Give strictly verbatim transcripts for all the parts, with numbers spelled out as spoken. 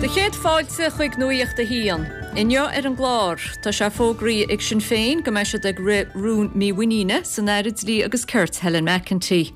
Do chéad fáilte chuig Nuacht a hAon. Inniu ar an gclár, tá sé fógraithe ag Sinn Féin go mbeidh siad ag rith rún mímhuiníne san Aire Dlí agus Cirt Helen McEntee.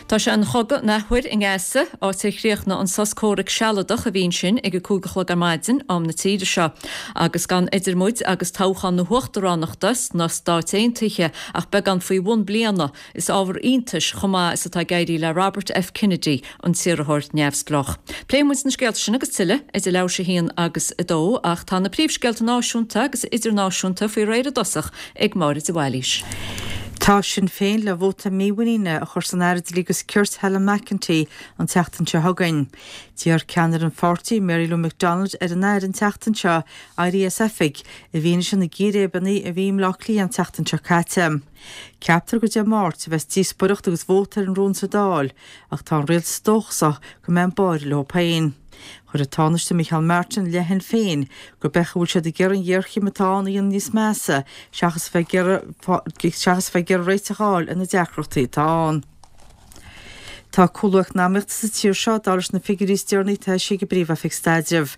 Tá sé ina chogadh an athuair i nGaza, áit ar chríochnaigh an sos comhraic sealadach a bhí ansin ag a cúig a chlog ar maidin am na tíre seo, agus gan idir muid agus toghchán na huachtaránachta sna Stáit Aontaithe ach beagán faoi bhun bliana, is ábhar iontais chomh maith is atá ag éirí le Robert F. Kennedy, an t-iarrthóir neamhspleách. Pléifidh muid na scéalta sin agus tuilleadh idir leathuair tar éis a haon agus a dó, ach tá na príomhscéalta náisiúnta agus idirnáisiúnta faoi réir i dtosach ag Máire de Bhailís. Tá Sinn Féin le vóta mímhuiníne a chur san Aire Dlí agus Cirt Helen McEntee an tseachtain seo chugainn. D'iarr ceannaire an pháirtí Mary Lou McDonald ar an Aire an tseachtain seo éirí as oifig i bhfianaise na gcíréibeanna a bhí i mBleá Cliath an tseachtain seo caite. Ceaptar go Dé Máirt a bheas díospóireacht agus vóta ar an rún sa Dáil, ach tá an rialtas dóchasach go mbeidh an báire leo féin. Chuir an Tánaiste Micheál Martin i leith Shinn Féin gurb é go bhfuil siad ag iarraidh an ghéarchéim atá ann a dhéanamh níos measa seachas bheith ag iarraidh seachas bheith ag iarraidh réiteach a fháil ar na deacrachtaí atá ann. Tá cúlú eacnamaíochta sa tír seo dar leis na figiúirí is deireanaí atá eisithe ag an bPríomh-Oifig Staidrimh.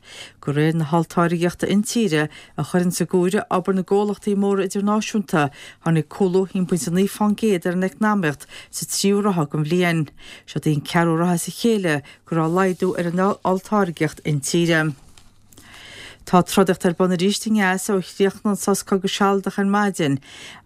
De réir na holltáirgeachta intíre a chuireann san áireamh obair na gcomhlachtaí móra idirnáisiúnta, tháinig cúlú haon pointe naoi faoin gcéad ar an eacnamaíocht sa tríú ráithe den bhliain. Seo í an ceathrú ráithe as a chéile go raibh laghdú ar an olltáirgeacht intíre. Tá trodaíocht ar bun arís i nGaza ó chríochnaigh an sos cogaidh sealadach ar maidin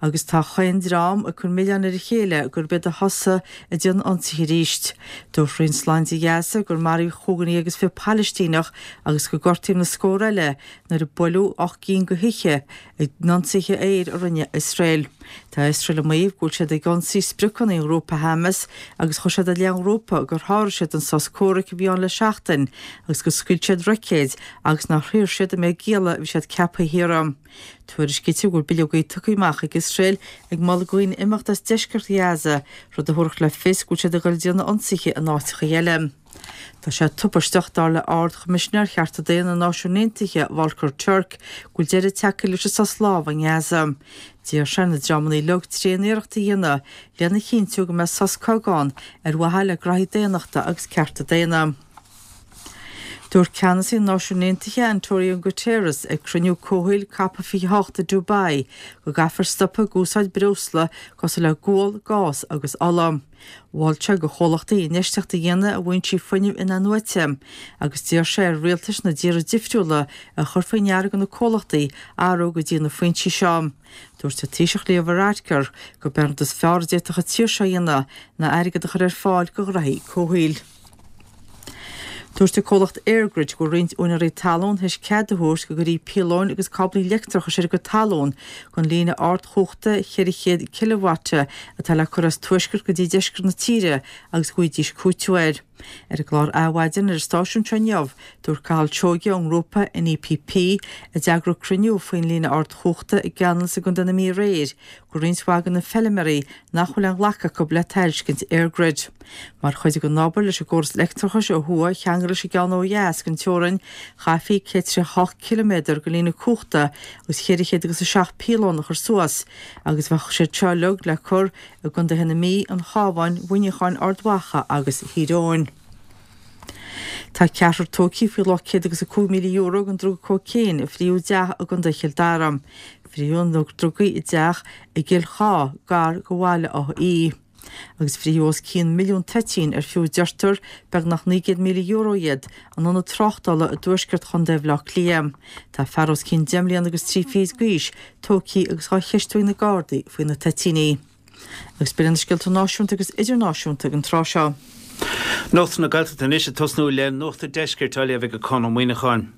agus tá chaon dream ag cur milleáin ar a chéile gurb iad a thosaigh ag déanamh ionsaithe arís. Dúirt Roinn Sláinte Ghaza gur maraíodh cúig déag agus fiche Palaistíneach agus gur gortaíodh na scór eile nuair a buaileadh ocht gcinn de thithe in ionsaithe aeir a rinne Iosrael. Tá Iosrael ag maíomh go bhfuil siad ag ionsaí spriocanna an ghrúpa Hamas agus chuir siad i leith an ghrúpa gur sháraigh siad an sos comhraic a bhí ann le seachtain agus gur scaoil siad roicéid agus nár shaor siad an méid gialla a bhí siad ceaptha a shaoradh. Tuairiscítear go bhfuil bileogaí tugtha amach ag Iosrael ag moladh do dhaoine imeacht as deisceart Ghaza, rud a thabharfadh le fios go bhfuil siad ag dul ag déanamh ionsaithe in áiteacha eile. Tá sé tubaisteach dar le Ard-Choimisinéir Chearta Daonna na Náisiún Aontaithe Volker Turk go bhfuil deireadh tagtha leis an sos lámhaigh i nGaza. D'iarr sé ar na dreamanna uilig tréaniarracht a dhéanamh lena chinntiú go mbeidh sos cogaidh ann ar mhaithe le graithí daonnachta agus cearta daonna. Dúirt ceannasaí na Náisiún Aontaithe Antonio Guterres ag cruinniú comhshaoil COP fiche hocht i Dubai go gcaithfear stopadh ag úsáid breosla cosúil le gual, gás agus ola. Mhol sé do chomhlachtaí infheistíocht a dhéanamh i bhfoinsí fuinnimh inathnuaite, agus d'iarr sé ar rialtais na dtíortha difriúla a chur faoi ndeara do na comhlachtaí athrú go dtí na foinsí seo. Dúirt an Taoiseach Leo Varadkar gurb é an rud is fearr a d'fhéadfadh an tír seo a dhéanamh ná airgead a chur ar fáil do ghraithí comhshaoil. Dúirt an comhlacht EirGrid go bhfuil roinnt úinéirí talún théis cead a thabhairt go gcuirfí píolóin agus cáblaí leictreachais ar a gcuid talún don líne ardchumhachta ceithre chéad cileavata atá le cur as tuaisceart go dtí deisceart na tíre agus go bhfaighidís cúiteamh air. Ar an gclár Adhmhaidin ar an stáisiún seo inniu, dúirt Cathal Seoige ón ngrúpa NEPP a d'eagraigh cruinniú faoin líne ardchumhachta i gCeanannas i gContae na Mí aréir go roinnt mhaith de na feilméaraí nach bhfuil aon ghlacadh acu le tairiscint EirGrid. Mar chuid den obair leis an gcóras leictreachais ó thuaidh a cheangal leis an gceann ó dheas den teorainn, chaithfí céad tríocha hocht ciliméadar de líne cumhachta agus ceithre chéad agus a seacht píolón a chur suas, agus bheadh siad seo uilig le cur i gcontaetha na Mí, an Chabháin, Mhuineacháin, Ard Mhacha agus Thír Eoghain. Tá ceathrar tógtha faoi luach céad agus a cúig míle euro den druga cócaon a frítheadh i dteach i gContae Chill Dara. Frítheadh na drugaí i dteach i gCill Chá, gar do Bhaile Átha Í. Agus frítheadh os cionn milliún toitín ar fiú deirtear beagnach naoi gcéad míle euro iad in ionad tráchtála i dtuaisceart Chontae Bhaile Átha Cliath. Tá fear os cionn deich mbliana agus trí fichid d'aois tógtha agus á cheistiú ag na Gardaí faoi na toitíní. Agus b'in na scéalta náisiúnta agus idirnáisiúnta ag an tráth seo. Nuacht na Gaeltachta anois ag tosnú le Nuacht an Deiscirt á léamh ag Conn Ó Muíneacháin.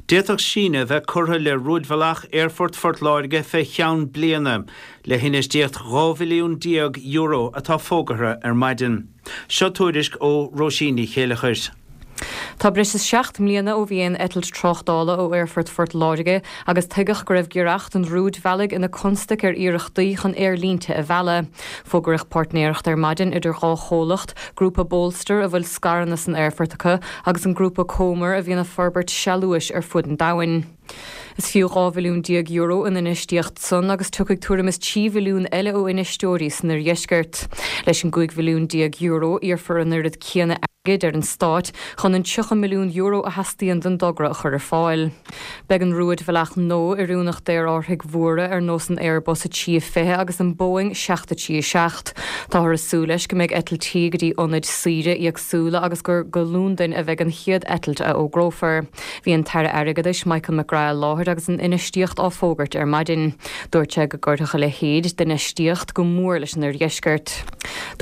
D'fhéadfadh síneadh a bheith curtha le rúidbhealach Aerfort Phort Láirge fé cheann bliana, le hinfheistíocht dhá bhilliún déag euro atá fógartha ar maidin. Seo tuairisc ó Róisín Ní Chéileachair. Tá breis is seacht mbliana ó bhí aon eitilt tráchtála ó Aerfort Phort Láirge agus tuigeadh go raibh giorracht an rúidbhealaigh ina constaic ar iarrachtaí chun aerlínte a mhealladh. Fógraíodh páirtnéireacht ar maidin idir dhá chomhlacht, grúpa Bolster a bhfuil scaireanna san aerfort acu agus an grúpa Comer a bhíonn ag forbairt sealúchais ar fud an domhain. Is fiú dhá bhilliún déag euro an infheistíocht san agus tiocfaidh tuairim is trí bhilliún eile ó infheisteoirí san oirdheisceart. Leis an gcúig bhilliún déag euro iarrfar an oiread céanna airgid ar an stát chun an tríocha milliún euro a theastaíonn don dtogra a chur ar fáil. Beidh an rúidbhealach nua oiriúnach d'aerárthaigh mhóra ar nós an Airbus a trí fiche agus an Boeing seacht a trí seacht. Táthar ag súil leis go mbeidh eitiltí go dtí ionaid saoire éagsúla agus gur go Londain a bheidh an chéad eitilt a fhógrófar. Bhí an tAire Airgeadais Michael McGrath i láthair agus an infheistíocht á fógairt ar maidin. Dúirt sé go gcuirfeadh a leithéid d'infheistíocht go mór leis an oirdheisceart.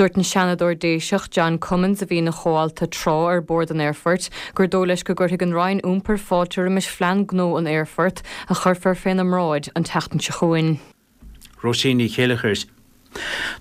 Dúirt an Seanadóir Déiseach John Cummins a bhí ina chomhalta tráth ar bhord an aerfoirt gur dóigh leis go gcuirfidh an Roinn Iompair fáilte roimis phlean gnó an aerfoirt a chuirfear féna mbráid an tseachtain seo chugainn. Róisín Ní Chéileachair.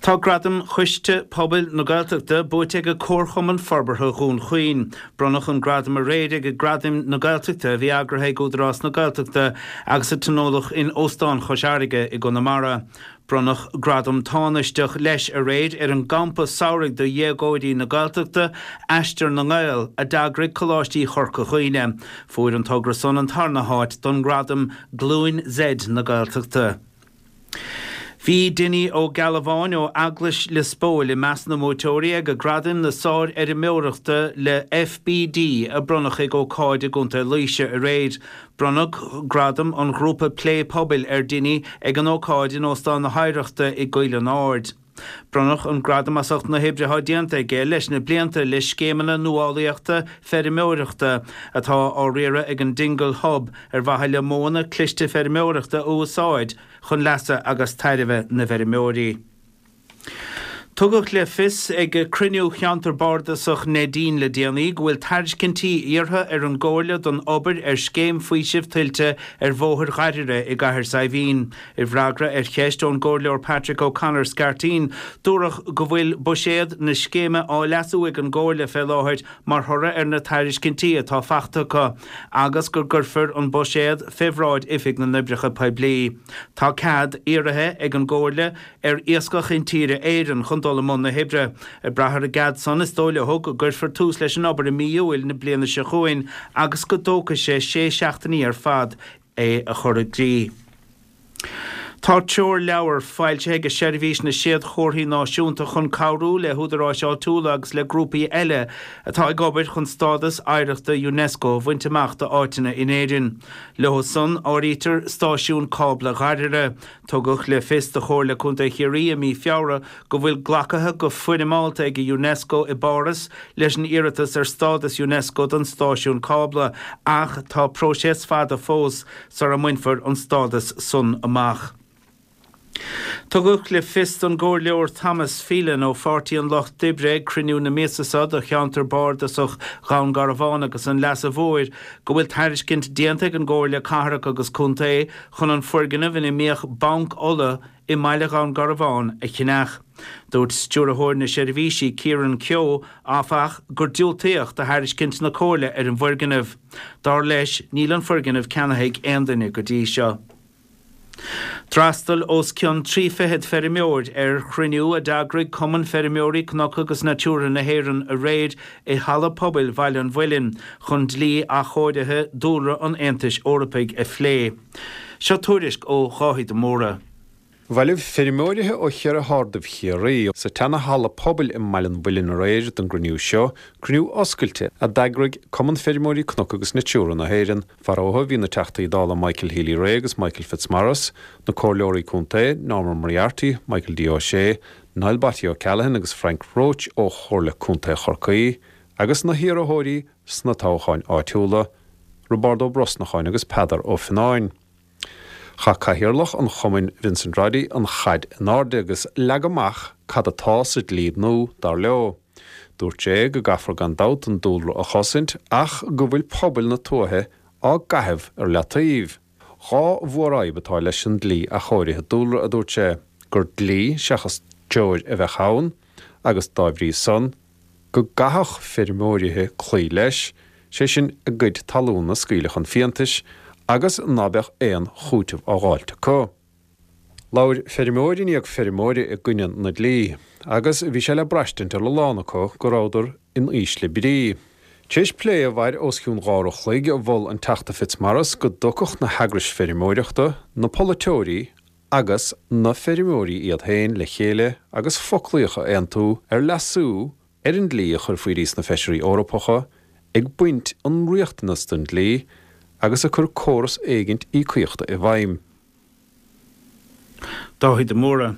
Tá Gradam Choiste Pobail na Gaeltachta buaite ag Comharchumann Forbartha Dhún Chaoin. Bronnadh an gradam aréir ag Gradaim na Gaeltachta a bhí eagraithe ag Údarás na Gaeltachta agus a tionóladh in Óstán Chois Fharraige i gConamara. Bronnadh gradam tánaisteach leis aréir ar an gcampa samhraidh do dhéagóirí na Gaeltachta, Aistear na nGael, a d'eagraigh Coláistí Chorca Dhuibhne. Fuair an togra san an tarna háit don ghradam Glúin Z na Gaeltachta. Bhí Dinny Ó Gealbháin ó Eaglais Lios Póil i measc na mbuaiteoirí ag Gradaim na Sárfheirmeoireachta le FBD a bronnadh ag ócáid i gContae Laoise aréir. Bronnadh gradam an ghrúpa Plé Pobail ar Dinny ag an ócáid in Óstán na hOidhreachta i gCoill an Aird. Bronnadh an gradam as ucht na hoibre atá déanta aige leis na blianta le scéimeanna nuálaíochta feirmeoireachta atá á riaradh ag an Dingle Hub ar mhaithe le modhanna cliste feirmeoireachta a úsáid chun leasa agus tairbhe na bhfeirmeoirí. Tugadh le fios ag cruinniú Cheantar Bardasach Neidín le déanaí go bhfuil tairiscintí iarrtha ar an gComhairle don obair ar scéim faoisimh tuilte ar Bhóthar Ghairire i gCathair Saidhbhín. I bhfreagra ar cheist ón gComhairleoir Patrick O'Connor Scairtín, dúradh go bhfuil buiséad na scéime á leasú ag an gComhairle fé láthair mar thoradh ar na tairiscintí atá faighte acu agus go gcuirfear an buiséad fé bhráid Oifig na nOibreacha Poiblí. Tá cead iarrtha ag an gComhairle ar Iascach Intíre Éireann chun dul i mbun na hoibre. Ag brath ar an gcead san, is dóigh leo go gcuirfear tús leis an obair i mí Iúil na bliana seo chugainn agus go dtógfaidh sé sé seachtainí ar fad é a chur i gcrích. Tá treoirleabhar foilsithe ag Seirbhís na Séadchomharthaí Náisiúnta chun cabhrú le húdaráis áitiúla agus le grúpaí eile atá ag obair chun stádas oidhreachta Unesco a bhaint amach d'áiteanna in Éirinn. Leo san áirítear stáisiún cábla Ghairire. Tugadh le fios do Chomhairle Contae Chiarraí i mí Feabhra go bhfuil glactha go foirmeálta ag Unesco i bPáras leis an iarratas ar stádas Unesco don stáisiún cábla ach tá próiseas fada fós sara mbainfear an stádas san amach. Tugadh le fios don gComhairleoir Thomas Phelan ó Pháirtí an Lucht Oibre ag cruinniú na míosa seo do cheantar bardasach Dhún Garbhán agus an Leasa Mhóir go bhfuil tairiscint déanta ag an gComhairle Cathrach agus Contae chun an foirgneamh ina mbíodh Banc Uladh i mbaile Dhún Garbhán a cheannach. Dúirt Stiúrthóir na Seirbhísí Kieran Keogh, áfach, gur diúltaíodh do thairiscint na Comhairle ar an bhfoirgneamh. Dar leis, níl an foirgneamh ceannaithe ag aon duine go dtí seo. D'fhreastail os cionn trí fichead feirmeoir ar chruinniú a d'eagraigh Cumann Feirmeoirí Cnoc agus Natura na hÉireann aréir i Halla Pobail Bhaile an Mhuilinn chun dlí athchóirithe dúlra an Aontais Eorpaigh a phlé. Seo tuairisc ó Dháithí de Mórdha. Bhailigh feirmeoirithe ó cheithre hardaibh Chiarraí sa tseana-halla pobail i mBaile an Mhuilinn aréir don gcruinniú seo, cruinniú oscailte a d'eagraigh Cumann Feirmeoirí Cnoc agus Natura na hÉireann. Fara bhí na Teachtaí Dála Michael Healy-Rae agus Michael Fitzmaurice, na Comhairleoirí Contae, Norman Moriarty, Michael D. O'Shea, Niall Batty O'Callaghan agus Frank Roche ó Chomhairle Contae Chorcaí, agus na hiarrthóirí sna toghcháin áitiúla, Roibeárd Ó Brosnacháin agus Peadar Ó Fionnáin. Chaith Cathaoirleach an Chumainn Vincent Roddy an chaid in airde agus leag amach cad atá sa dlí nua, dar leo. Dúirt sé go gcaithfear gan dabht an dúlra a chosaint ach go bhfuil pobail na tuaithe á gcaitheamh ar leataobh. Dhá mhórfhadhb atá leis an dlí athchóirithe dúlra, a dúirt sé, gur dlí seachas treoir a bheadh ann agus dá bhrí san, go gcaithfeadh feirmeoirithe cloí leis, sé sin a gcuid talún a scaoileadh chun fiántais agus ná beadh aon chúiteamh á dháilt acu. Labhair feirmeoir i ndiaidh feirmeora i gcoinne na dlí, agus bhí sé le braistint ar a lán acu go rabhadar in ísle brí. Tar éis plé a mhair os cionn dhá uair a chloig, mhol an Teachta Fitzmaurice go dtiocfadh na heagrais feirmeoireachta, na polaiteoirí agus na feirmeoirí iad féin le chéile agus foclaíocht a aontú ar leasú ar an dlí a chuirfí sna Feisirí Eorpacha ag baint an riachtanas den dlí agus ag cur córas éigint íocaíochta i bhfeidhm. Dáithí de Mórdha.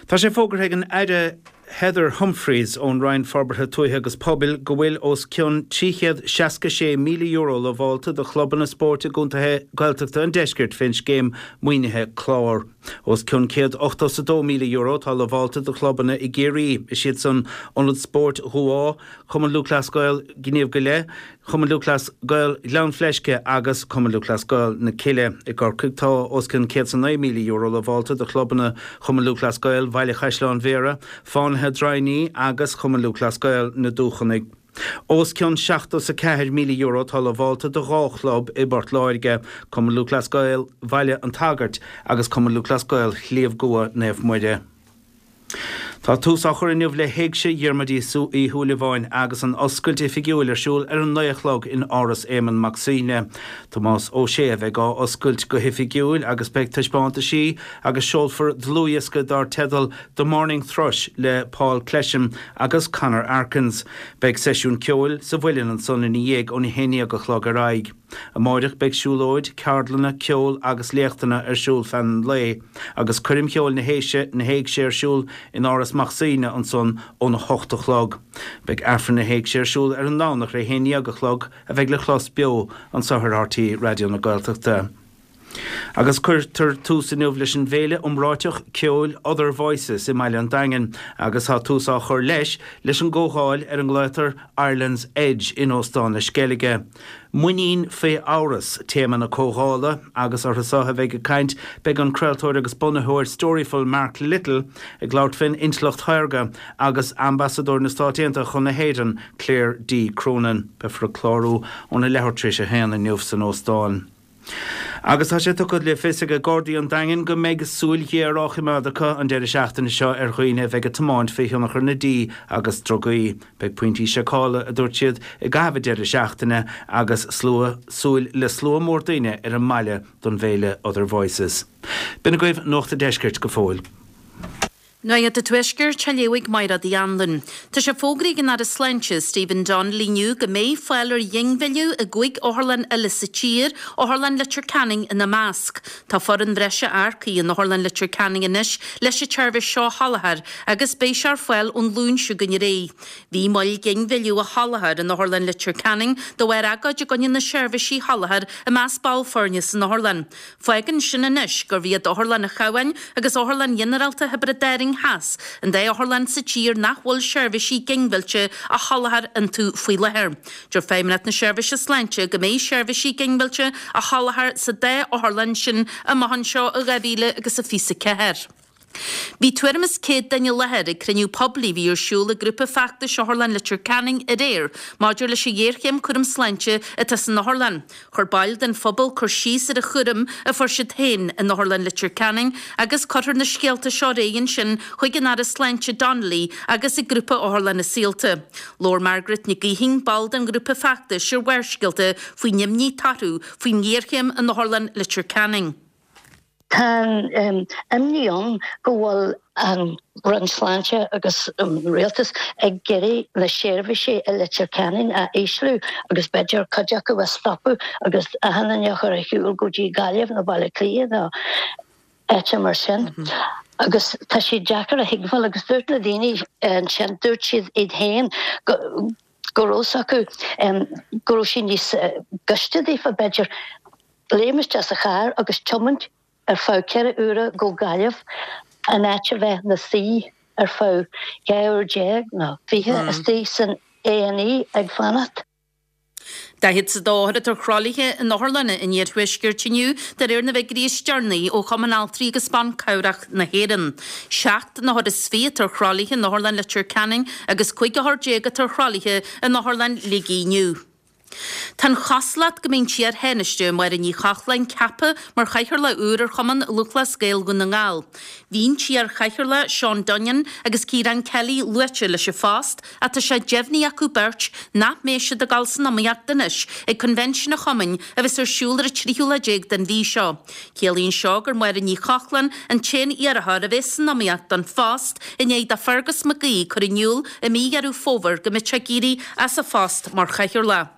Tá sé fógartha ag an Aire Heather Humphreys ón Roinn Forbartha Tuaithe agus Pobail go bhfuil os cionn trí chéad seasca sé míle euro lamhálta do chlubanna spóirt i gcontaetha Gaeltachta an deiscirt fén scéim maoinithe clár. Os cionn céad ochtó is a dó míle euro tá lamhálta do chlubanna i gCiarraí, is iad san Ionad Spóirt Dhumhá, Cumann Lúthchleas Gael Gníomh go leith, Cumann Lúthchleas Gael Ghleann Fleisce agus Cumann Lúthchleas Gael na Cille. I gCorcaigh tá os cionn céad is a naoi míle euro lamhálta do chlubanna Chumann Lúthchleas Gael Bhaile Chaisleáin Bhéarra, Fánaithe Droighní agus Cumann Lúthchleas Gael na Dúchonaidh. Os cionn seachtó is a ceathair míle euro tá lamhálta do dhá chlub i bPort Láirge, Cumann Lúthchleas Gael Bhaile an tSagairt agus Cumann Lúthchleas Gael Shliabh gCua Naomh Muire. Tá tús á chur inniu le hÉigse Dhiarmuid Uí Shúilleabháin agus an oscailt oifigiúil ar siúl ar an naoi a chlog in Áras Éamonn Mac Suibhne. Tomás Ó Sé a bheidh á oscailt go hoifigiúil agus beidh taispeántaisí agus seolfar dlúthdhiosca dar teideal The Morning Thrush le Paul Clesham agus Conor Arkins. Beidh seisiún ceoil sa Mhuileann ansan ina dhiaidh óna haon déag a chlog ar aghaidh. Amáireach beidh siúlóid, ceardlanna, ceol agus léachtanna ar siúl feadh an lae, agus coirm cheoil na héise na héigse ar siúl in Áras Mac Suibhne ansan óna hocht a chlog. Beidh Aifreann na héigse ar siúl ar an nDomhnach ar a haon déag a chlog a bheidh le clos beo anseo ar RTÉ Raidió na Gaeltachta. Agus cuirtear tús inniu leis an bhféile iomráiteach ceoil Other Voices i mBaile an Daingin agus tá tús á chur leis leis an gcomhdháil ar a nglaotar Ireland's Edge in Óstán na Sceilge. Muinín faoi amhras téama na comhdhála agus orthu seo a bheidh ag caint beidh an craoltóir agus bunaitheoir Storyful Mark Little ag labhairt faoin intleacht shaorga agus ambasadóir na Stát Aontaithe chun na hÉireann Claire D. Cronin. Beifear ag clárú óna leathuair tar éis a haon inniu san óstán. Agus tá sé tugtha le fios ag Gardaí an Daingin go mbeidh súil ghéar á choimeád acu an deireadh seachtaine seo ar dhaoine a bheidh ag tiomáint faoi thionchar na dí agus drugaí. Beidh pointí seiceála, a dúirt siad, i gcaitheamh an deireadh seachtaine agus slua súil le slua mór daoine ar an mbaile don bhféile Other Voices. B'in agaibh Nuacht an Deiscirt go fóill. Nuacht an Tuaiscirt á léamh ag Máire Uí Anluain. Tá sé fógraithe ag an Aire Sláinte, Stephen Donnelly inniu go mbeidh fáil ar ghinmhilleadh i gcúig otharlann eile sa tír, Otharlann Leitir Ceanainn ina measc. Tá foireann bhreise earcaithe in Otharlann Leitir Ceanainn anois leis an tseirbhís seo a sholáthar agus beidh sé ar fáil ón Luan seo chugainn ar aghaidh. Bhí moill ginmhilleadh a sholáthar in Otharlann Leitir Ceanainn de bharr agóid i gcoinne na seirbhísí a sholáthar i measc ball foirne san otharlann. Fágann sin anois gurb iad Otharlann an Chabháin agus Otharlann Ghinearálta Thiobraid Árann Theas, an dá otharlann sa tír nach bhfuil seirbhísí ginmhillte á sholáthar iontu faoi láthair. Deir Feidhmeannacht na Seirbhíse Sláinte go mbeidh seirbhísí ginmhillte á sholáthar sa dá otharlann sin amach anseo i dhá mhíle agus a fiche a ceathair. Bhí tuairim is céad duine i láthair ag cruinniú poiblí a bhí ar siúl ag grúpa feachtais Otharlann Leitir Ceanainn aréir maidir leis an ghéarchéim cúram sláinte atá san otharlann. Chuir baill den phobal cur síos ar an chúram a fuair siad féin in Otharlann Leitir Ceanainn agus cuirfear na scéalta seo ar aghaidh ansin chuig an Aire Sláinte Donnelly agus ag grúpa Otharlanna Saolta. Labhair Margaret Nic Gaoithín, ball den ghrúpa feachtais ar Bharrscéalta faoin imní atá orthu faoin ngéarchéim in Otharlann Leitir Ceanainn. Tá an imní ann go bhfuil an Roinn Sláinte agus an Rialtas ag iarraidh na seirbhísí i Leitir Ceanainn a ísliú agus b'fhéidir cuid acu a stopadh agus achan duine a chur ar shiúl go dtí Gaillimh nó Baile Átha Cliath nó áit mar sin. Agus tá sé deacair a thuigbheáil agus dúirt na daoine ansin, dúirt siad iad féin go go raibh acu go raibh sé níos gaiste daofa b'fhéidir léim isteach sa charr agus tiomáint ar feadh ceithre uaire go Gaillimh in áit a bheith 'na suí ar feadh dhá uair déag nó fiche istigh san A and E ag fanacht. Daichead is a dó othar atá ar thralaithe in otharlanna an iarthuaiscirt inniu de réir na bhfigiúirí is deireanaí ó Chumann Altraí agus Ban Cabhrach na hÉireann. Seacht n-othar is fiche atá ar thralaithe in Otharlann Leitir Ceanainn agus cúig othar déag atá ar thralaithe in Otharlann Shligigh inniu. Tá an chosúlacht go mbeidh an t-iar-Thánaiste Máire Ní Chochláin ceaptha mar chathaoirleach úr ar Chumann Lúthchleas Gael Dhún na nGall. Bhí an t-iar-chathaoirleach Seán Dunnion agus Ciarán Kelly luaite leis an phost ach tá sé deimhnithe acu beirt nach mbeidh siad ag dul san iomaíocht anois ag Coinbhinsiún an Chumainn a bheas ar siúl ar an tríú lá déag den mhí seo. Ciallaíonn seo gur Máire Ní Chochláin an t-aon iarrthóir a bheas san iomaíocht don phost i ndiaidh do Fergus Mac Aoidh cur in iúl i mí Dheireadh Fómhair go mbeadh sé ag éirí as a phost mar chathaoirleach.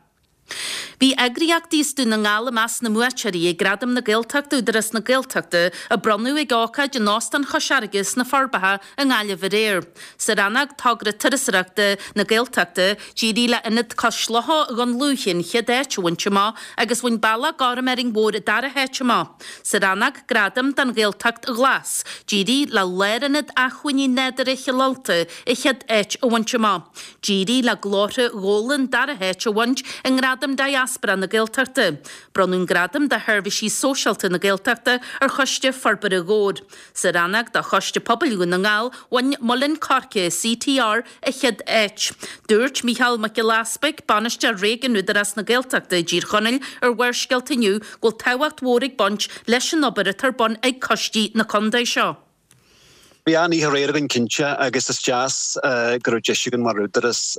Bhí eagraíochtaí as Dún na nGall i measc na mbuaiteoirí ag Gradaim na Gaeltachta Údarás na Gaeltachta a bronnadh ag ócáid in Óstán Chois Fharraige sna Forbacha i nGaillimh aréir. Sa rannóg Togra Turasóireachta na Gaeltachta, d'éirigh le Ionad Cois Locha Dhún Lúiche an chéad áit a bhaint amach agus bhain Bealach Gorm Árainn Mhór an dara háit amach. Sa rannóg Gradam don Ghaeltacht Ghlas, d'éirigh le Lárionad Acmhainní Nádúrtha Chill Ulta an chéad áit a bhaint amach. D'éirigh le Glórtha Ghabhla an dara háit a bhaint i nGradam Diaspora na Gaeltachta. Bronnadh an Gradam do Sheirbhísí Sóisialta na Gaeltachta ar Choiste Forbartha Dhobhair. Sa rannóg do Choiste Pobail Dhún na nGall, bhain Muileann Coirce CTR an chéad áit. Dúirt Mícheál Mac Giolla Easpaig, Bainisteoir Réigiúin Údarás na Gaeltachta i dTír Chonaill ar Bharrscéalta inniu go bhfuil tábhacht mhór ag baint leis an obair atá ar bun ag coistí na contae seo. Bhí an-oíche aréir againn cinnte agus is deas go raibh deis againn mar Údarás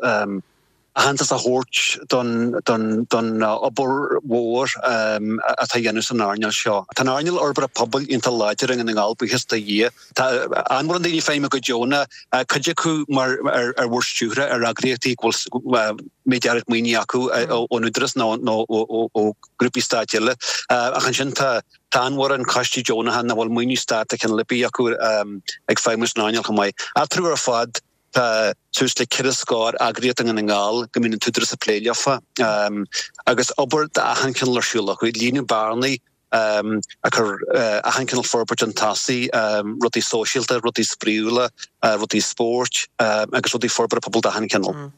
aitheantas a thabhairt don don obair mhór atá á dhéanamh san earnáil seo. Tá an earnáil fhorbartha pobail iontach láidir i nDún na nGall, buíochas do Dhia. Tá an-mhórán daoine ag feidhmiú go deonach, cuid acu mar ar bhord stiúrtha ar eagraíochtaí go bhfuil méid áirid maoinithe acu ón Údarás nó ó ghrúpaí stáit eile. Ach ansin tá tá an-mhórán coistí deonacha nach bhfuil maoiniú stáit de chineál ar bith acu ag feidhmiú san earnáil chomh maith. Eatarthu ar fad, Tá suas le ceithre scór eagraíocht i nDún na nGall go mbíonn an tÚdarás ag plé leofa agus obair d'achan chineál ar siúl acu, ag líonadh bearnaí, ag cur achan chineál forbairt chun tosaigh, rudaí sóisialta, rudaí spraíúla, rudaí spóirt agus rudaí forbartha pobail d'achan chineál.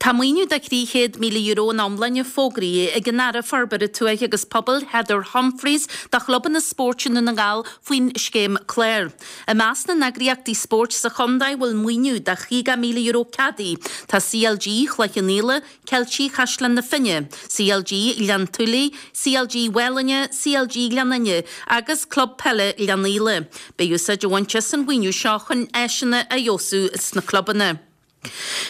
Tá maoiniú de thrí chéad míle euro ina iomláine fógraithe ag an Aire Forbartha Tuaithe agus Pobail Heather Humphreys do chlubanna spóirt i nDún na nGall faoin scéim clár. I measc na n-eagraíochtaí spóirt sa chontae a bhfuil maoiniú de chaoga míle euro ceadaithe tá CLG Chloich Cheann Fhaola, Ceiltigh Chaisleán na Finne, CLG Ghleann tSúilí, CLG Mhálanna, CLG Ghleann Fhinne agus Club Peile Ghleann Fhaola. Beidh úsáid á bhaint as an mhaoiniú seo chun áiseanna a fheabhsú sna clubanna.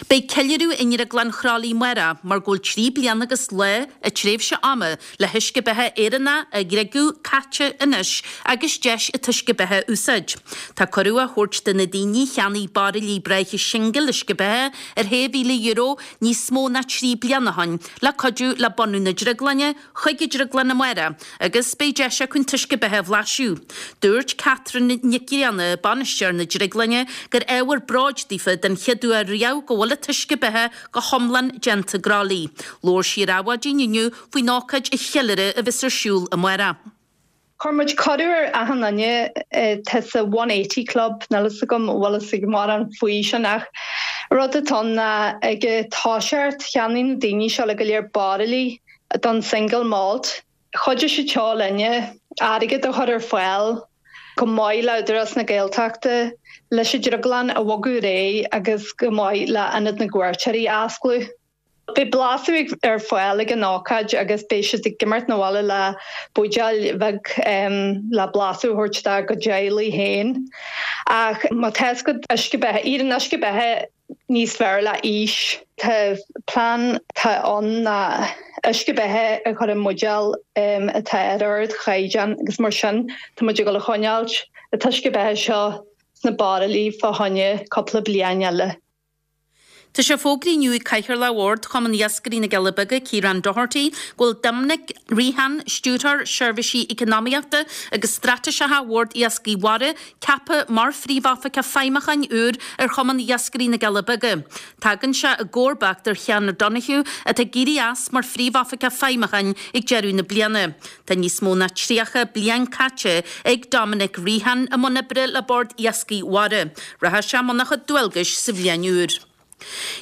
Beidh ceiliúradh i nDrioglann Chróilí amárach mar go bhfuil trí bliana agus lá an tréimhse ama le huisce beatha Éireannach a dhriogadh caite anois agus deis an t-uisce beatha a úsáid. Tá cuireadh á thabhairt do na daoine a cheannaigh bairillí breátha singil uisce beatha ar shé mhíle euro níos mó ná trí bliana ó shin le cuidiú le bunú na drioglainne chuig an drioglann amárach agus beidh deis acu an t-uisce beatha a bhlaiseadh. Dúirt Catherine Nic Grianna, bainisteoir na drioglainne, gur ábhar bróid daofa den chéad uair riamh go bhfuil an t-uisce beatha go hiomlán déanta i gCroithlí. Labhair sí ar Adhmhaidin inniu faoin ócáid a cheiliúradh a bheas ar siúl amárach. Chuir muid cuireadh ar achan duine atá sa One Eighty Club, níl fhios agam an bhfuil fhios ag mórán faoi sin ach rud atá ann ná ag an toiseacht cheannaigh na daoine seo go léir bairillí don single malt. Chuidigh siad seo linne airgead a chur ar fáil chomh maith le Údarás na Gaeltachta leis an drioglann a bhogadh ar aghaidh agus chomh maith le Ionad na gCuairteoirí a osclú. Beidh blaiseadh ar fáil ag an ócáid agus beidh siad ag imeacht 'na bhaile le buidéal beag le blaiseadh a thabhairt dá gcuid teaghlaigh féin. Ach má tá fhios agat uisce beatha, éiríonn uisce beatha níos fearr le aois. Tá plean atá ann ná uisce beatha a chur i mbuidéal atá ar ardchaighdeán agus mar sin tá muid ag dul a choinneáilt an t-uisce beatha seo sna bairillí fá choinne cúpla bliain eile. Tá sé fógraithe inniu ag Cathaoirleach Bhord Chumann Iascairí na gCealla Beaga, Ciarán Doherty, go bhfuil Doimnic Rehan, Stiúrthóir Seirbhísí Eacnamaíochta agus Straitéiseacha Bhord Iascaigh Mhara, ceaptha mar Phríomhoifigeach Feidhmiúcháin úr ar Chumann Iascairí na gCealla Beaga. Tagann sé i gcomharbacht ar Sheán O'Donoghue, atá ag éirí as mar Phríomhoifigeach Feidhmiúcháin ag deireadh na bliana. Tá níos mó ná tríocha bliain caite ag Dominic Rehan i mbun oibre le Bord Iascaigh Mhara. Rachaidh sé i mbun a chuid dualgais sa bhliain úr.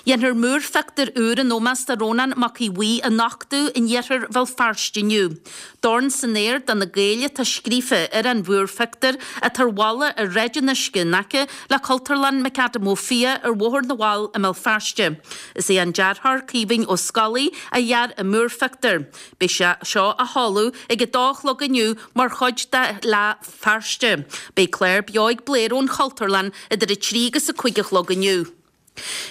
Dhéanfar múrphictiúr úr in ómós do Rónán Mac Aodha Bhuí a nochtadh in iarthar Bhéal Feirste inniu. Dorn san aer do na Gaeil atá scríofa ar an mhúrphictiúr atá ar bhalla ar Shráid an Uisce in aice le Cultúrlann McAdam Ó Fiaich ar Bhóthar na bhFál i mBéal Feirste. Is é an dearthóir Caoimhín Ó Scolaí a dhear an múrphictiúr. Beidh sé seo á sheoladh ag a dó a chlog inniu mar chuid de Fhleadh Feirste. Beidh clár beo ag Blair ón Chultúrlann idir a trí agus a cúig a chlog inniu.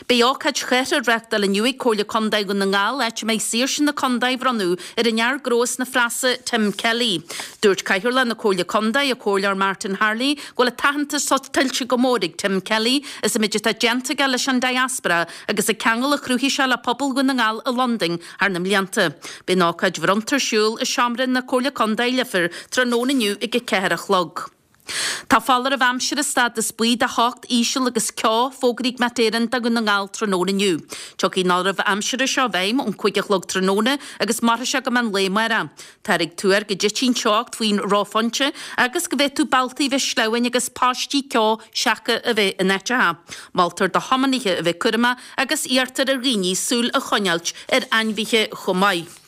Beidh ócáid chathardha á reáchtáil inniu ag Comhairle Contae Dhún na nGall, áit a mbeidh saoirse na contae á bhronnadh ar an fhear gnó as na Freasa, Tim Kelly. Dúirt Cathaoirleach na Comhairle Contae, an Comhairleoir Martin Harley, go bhfuil an t-aitheantas seo tuillte go mór ag Tim Kelly as an méid atá déanta aige leis an diaspora agus an ceangal a chruthaigh sé le pobal Dhún na nGall i Londain thar na mblianta. Beidh an ócáid bhronnta ar siúl i Seomra na Comhairle Contae, Leifear, tráthnóna inniu ag a ceathair a chlog. Tá foláireamh aimsire stádas buí de theocht íseal agus ceo fógraithe ag Met Éireann do Dhún na nGall tráthnóna inniu. Tiocfaidh an foláireamh aimsire seo i bhfeidhm ón cúig a chlog tráthnóna agus mairfidh sé go meán lae amárach. Táthar ag tuar go dtitfidh an teocht faoin reophointe agus go bhféadfadh bealtaí a bheith sleamhain agus paistí ceo seaca a bheith in áiteacha. Moltar do thiománaithe a bheith cúramach agus iarrtar ar dhaoine súil a choinneáilt ar ainmhithe chomh maith.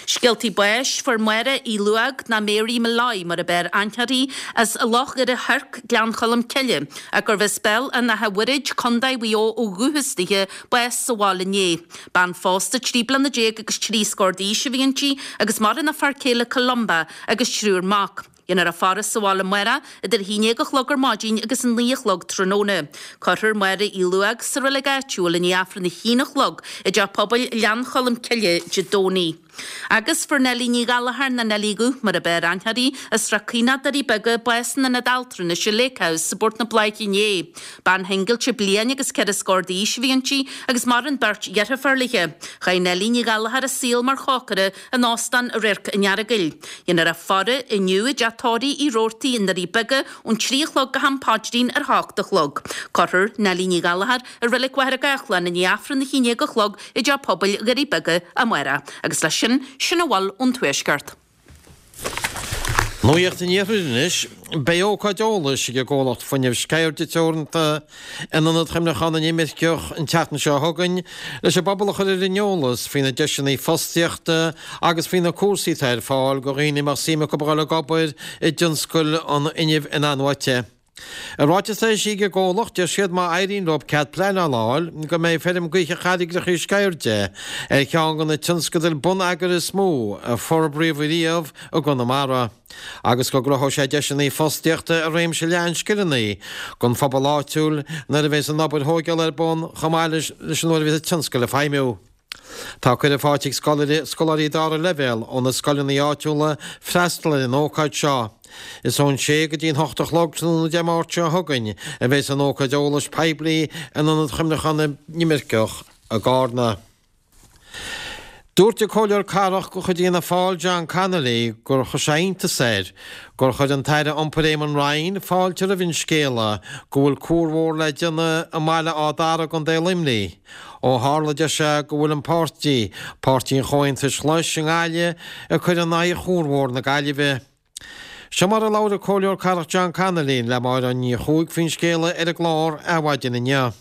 Scéaltaí báis, Fuair Máire Uí Luag, ná Mary Molloy mar ab fhearr aithne uirthi, as Loch Dhoire Thoirc, Gleann Cholm Cille, ach gurbh as Béal an Átha Mhuirid, Contae Mhaigh Eo ó dhúchas dithe, bás sa bhaile inné. Bean phósta trí bliana déag agus trí scór d'aois a bhí inti agus maireann a fear céile Columba agus triúr mac. Déanfar a faire sa bhaile amárach idir a haon déag a chlog ar maidin agus a naoi a chlog tráthnóna. Cuirfear Máire Uí Luag sa reilig áitiúil i ndiaidh Aifreann a haon a chlog i dTeach Pobail Ghleann Cholm Cille Dé Domhnaigh. Agus fuair Neilí Ní Ghallchóir nó Neilí Dhubh mar ab fhearr aithne uirthi, as Srath Caonach, Doirí Beaga, bás in Ionad Altranais i Lake House i bPort na Bláiche inné. Bean shingilte bliain agus ceithre scór d'aois a bhí inti agus maireann beirt dheirfiúr léi. Chaith Neilí Ní Ghallchóir a saol mar chócaire in Óstán Radharc an Earagail. Déanfar a faire inniu i dteach tórraimh Uí Robhartaigh i nDoirí Beaga ón trí a chlog go ham paidrín ar hocht a chlog. Cuirfear Neilí Ní Ghallchóir i Reilig Mhachaire Gathlán i ndiaidh Aifreann a haon déag a chlog i dTeach Pobail Dhoirí Beaga amárach. Agus leis sin, sin a bhfuil ón Tuaisceart. Nuacht an Iarthair anois. Beidh ócáid eolais ag an gcomhlacht fuinnimh Sceirde Teoranta in Ionad Chuimhneacháin na nImirceach an tseachtain seo chugainn leis an bpobal a chur ar an eolas faoi na deiseanna fostaíochta agus faoi na cúrsaí atá ar fáil do dhaoine a mbeadh suim acu a dhul ag obair i dtionscal an fhuinnimh in-athnuaite. I ráiteas atá eisithe ag an gcomhlacht, deir siad má éiríonn leo cead pleanála a fháil, go mbeidh feirm gaoithe Charraigreacha Sceirde ar cheann de na tionscadail bonneagair is mó a forbraíodh riamh i gConamara agus go gcruthóidh sé deiseanna fostaíochta i réimse leathan scileanna don phobal áitiúil nuair a bheas an obair thógála ar bun chomh maith leis an uair a bheas an tionscal ag feidhmiú. Tá cuireadh faighte ag scoláirí dara leibhéal ó na scoileanna áitiúla freastal ar an ócáid seo. Is ón sé go dtí an hocht a chlog tráthnóna Dé Máirt seo chugainn a bheas an ócáid eolais poiblí in Ionad Chuimhneacháin na nImirceach i gCarna. Dúirt an Comhairleoir Cathrach de chuid Fhianna Fáil John Connolly gur chuir sé iontas air gur chuir an tAire Iompair Eamon Ryan fáilte roimh an scéala go bhfuil cuarbhóthar le déanamh i mBaile Áth Dara i gContae Luimnigh. Ó tharla, deir sé, go bhfuil an páirtí, Páirtí an Chomhaontais Ghlais i nGaillimh, ag cur in aghaidh chuarbhóthar na Gaillimhe. Seo mar a labhair an Comhairleoir Cathrach John Connolly le Máire Ní Chuaig faoin scéala ar an gclár Adhmhaidin inniu.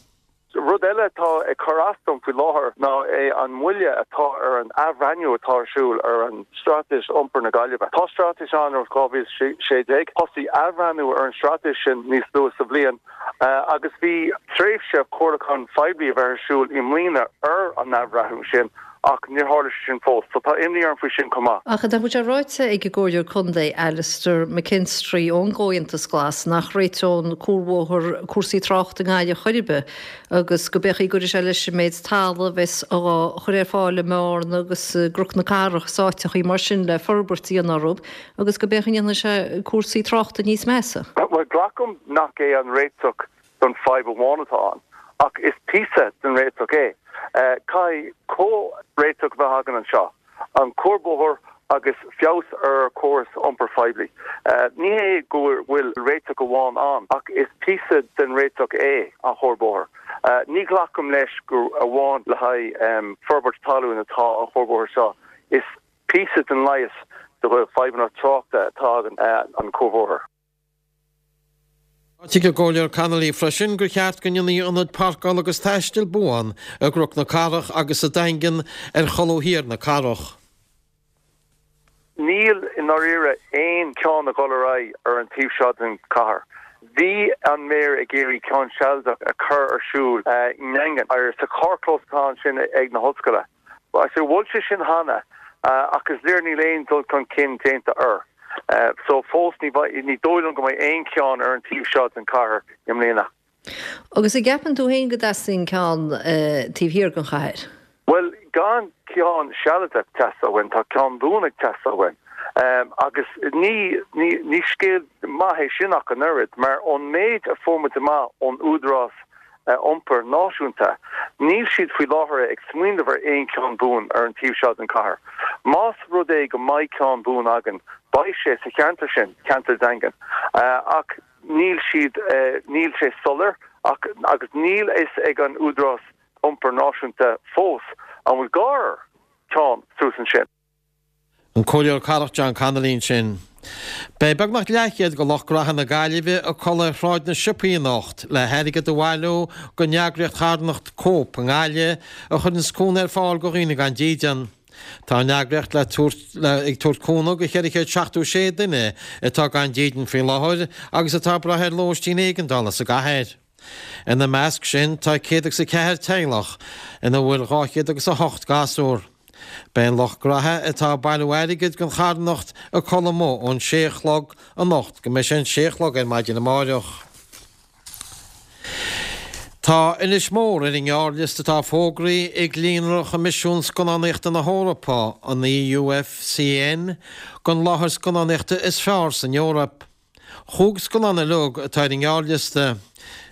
Rud eile atá ag cur as dom faoi láthair ná é an moille atá ar an athbhreithniú atá ar siúl ar an Straitéis Iompair na Gaillimhe. Tá straitéis ann ó dhá mhíle a sé déag. Thosaigh athbhreithniú ar an straitéis sin níos luaithe sa bhliain agus bhí tréimhse comhairliúcháin phoiblí a bheith ar siúl i mbliana ar an athbhreithniú sin ach níor tharla sé sin fós. So tá imní orm faoi sin chomh maith. Ach nach bhfuil sé ráite ag an gComhairleoir Contae Alastair McKinstry ón gComhaontas Glas nach réiteodh an cuarbhóthar cúrsaí tráchta i nGaillimh chor ar bith agus go b'fhéidir go gcuirfidh sé leis an méid talaimh a bheas á chur ar fáil i mBearna agus i gCnoc na Cathrach is áiteachaí mar sin le forbairt a dhéanamh orthu agus go b'fhéidir go ndéanfaidh sé cúrsaí tráchta níos measa. Bhuel, glacaim nach é an réiteach don fadhb amháin atá ann, ach is píosa den réiteach é. Caithfidh comhréiteach a bheith againn anseo, an cuarbhóthar agus feabhas ar chóras iompair phoiblí. Ní hé go bhfuil réiteach amháin ann, ach is píosa den réiteach é an cuarbhóthar. Ní ghlacaim leis gur amháin le haghaidh forbairt talún atá an cuarbhóthar seo. Is píosa den leigheas do fhadhbanna tráchta atá againn an cuarbhóthar. Tuigeann an Comhairleoir Connolly freisin gur cheart go ndéanfaí ionad páirceála agus taistil buan i gCnoc na Cathrach agus sa Daingean ar cholbha thiar na cathrach. Níl i ndáiríre aon cheann ag dul ar aghaidh ar an taobh seo den chathair. Bhí an méara ag iarraidh ceann sealadach a chur ar siúl i nDaingean, ar sa charrchlós atá ansin ag na hollscoile. So mhol sé sin cheana ach is léir níl aon dul chun cinn déanta air. So fós ní ní dóigh liom go mbeidh aon cheann ar an taobh seo den chathair i mbliana. Agus an gceapann tú féin go dteastaíonn ceann taobh thiar den chathair? Bhuel, gan ceann sealadach teastáil uainn, tá ceann buan ag teastáil uainn. Agus ní ní ní scéal maith é sin ach an oiread, mar ón méid a fuair muid amach ón Údarás Iompair Náisiúnta, níl siad faoi láthair ag smaoineamh ar aon cheann buan ar an taobh seo den chathair. Más rud é go mbeidh ceann buan againn, beidh sé sa cheantar sin, ceantar Daingean. Ach níl siad, níl sé soiléir ach agus níl a fhios ag an Údarás Iompair Náisiúnta fós an bhfuil gá ar cheann suas ansin. An Comhairleoir Cathrach John Connolly ansin. Beidh beagnach leathchéad de lucht gnaithe na Gaillimhe ag codladh ar Shráid na Siopaí anocht le hairgead a bhailiú don eagraíocht charthanachta Cope i nGaillimh a chuireanns cúnamh ar fáil do dhaoine gan dídean. Tá an eagraíocht le tabhairt ag tabhairt cúnamh do cheithre chéad seachtó sé duine atá gan dídean faoi láthair agus atá ag brath ar lóistín éigeandála sa gcathair. Ina measc sin tá céad agus a ceathair teaghlach ina bhfuil dhá chéad agus a hocht gasúr. Beidh an lucht gnaithe atá ag bailiú airgid don charthanacht ag codladh amuigh ón sé a chlog anocht go mbeidh sé an sé a chlog ar maidin amáireach. Tá Inis Mór ar an ngearrliosta atá fógraithe ag Líonra Choimisiún Scannánaíochta na hEorpa, an EUFCN, don láthair scannánaíochta is fearr san Eoraip. Chúig scannán uilig atá ar an ngearrliosta.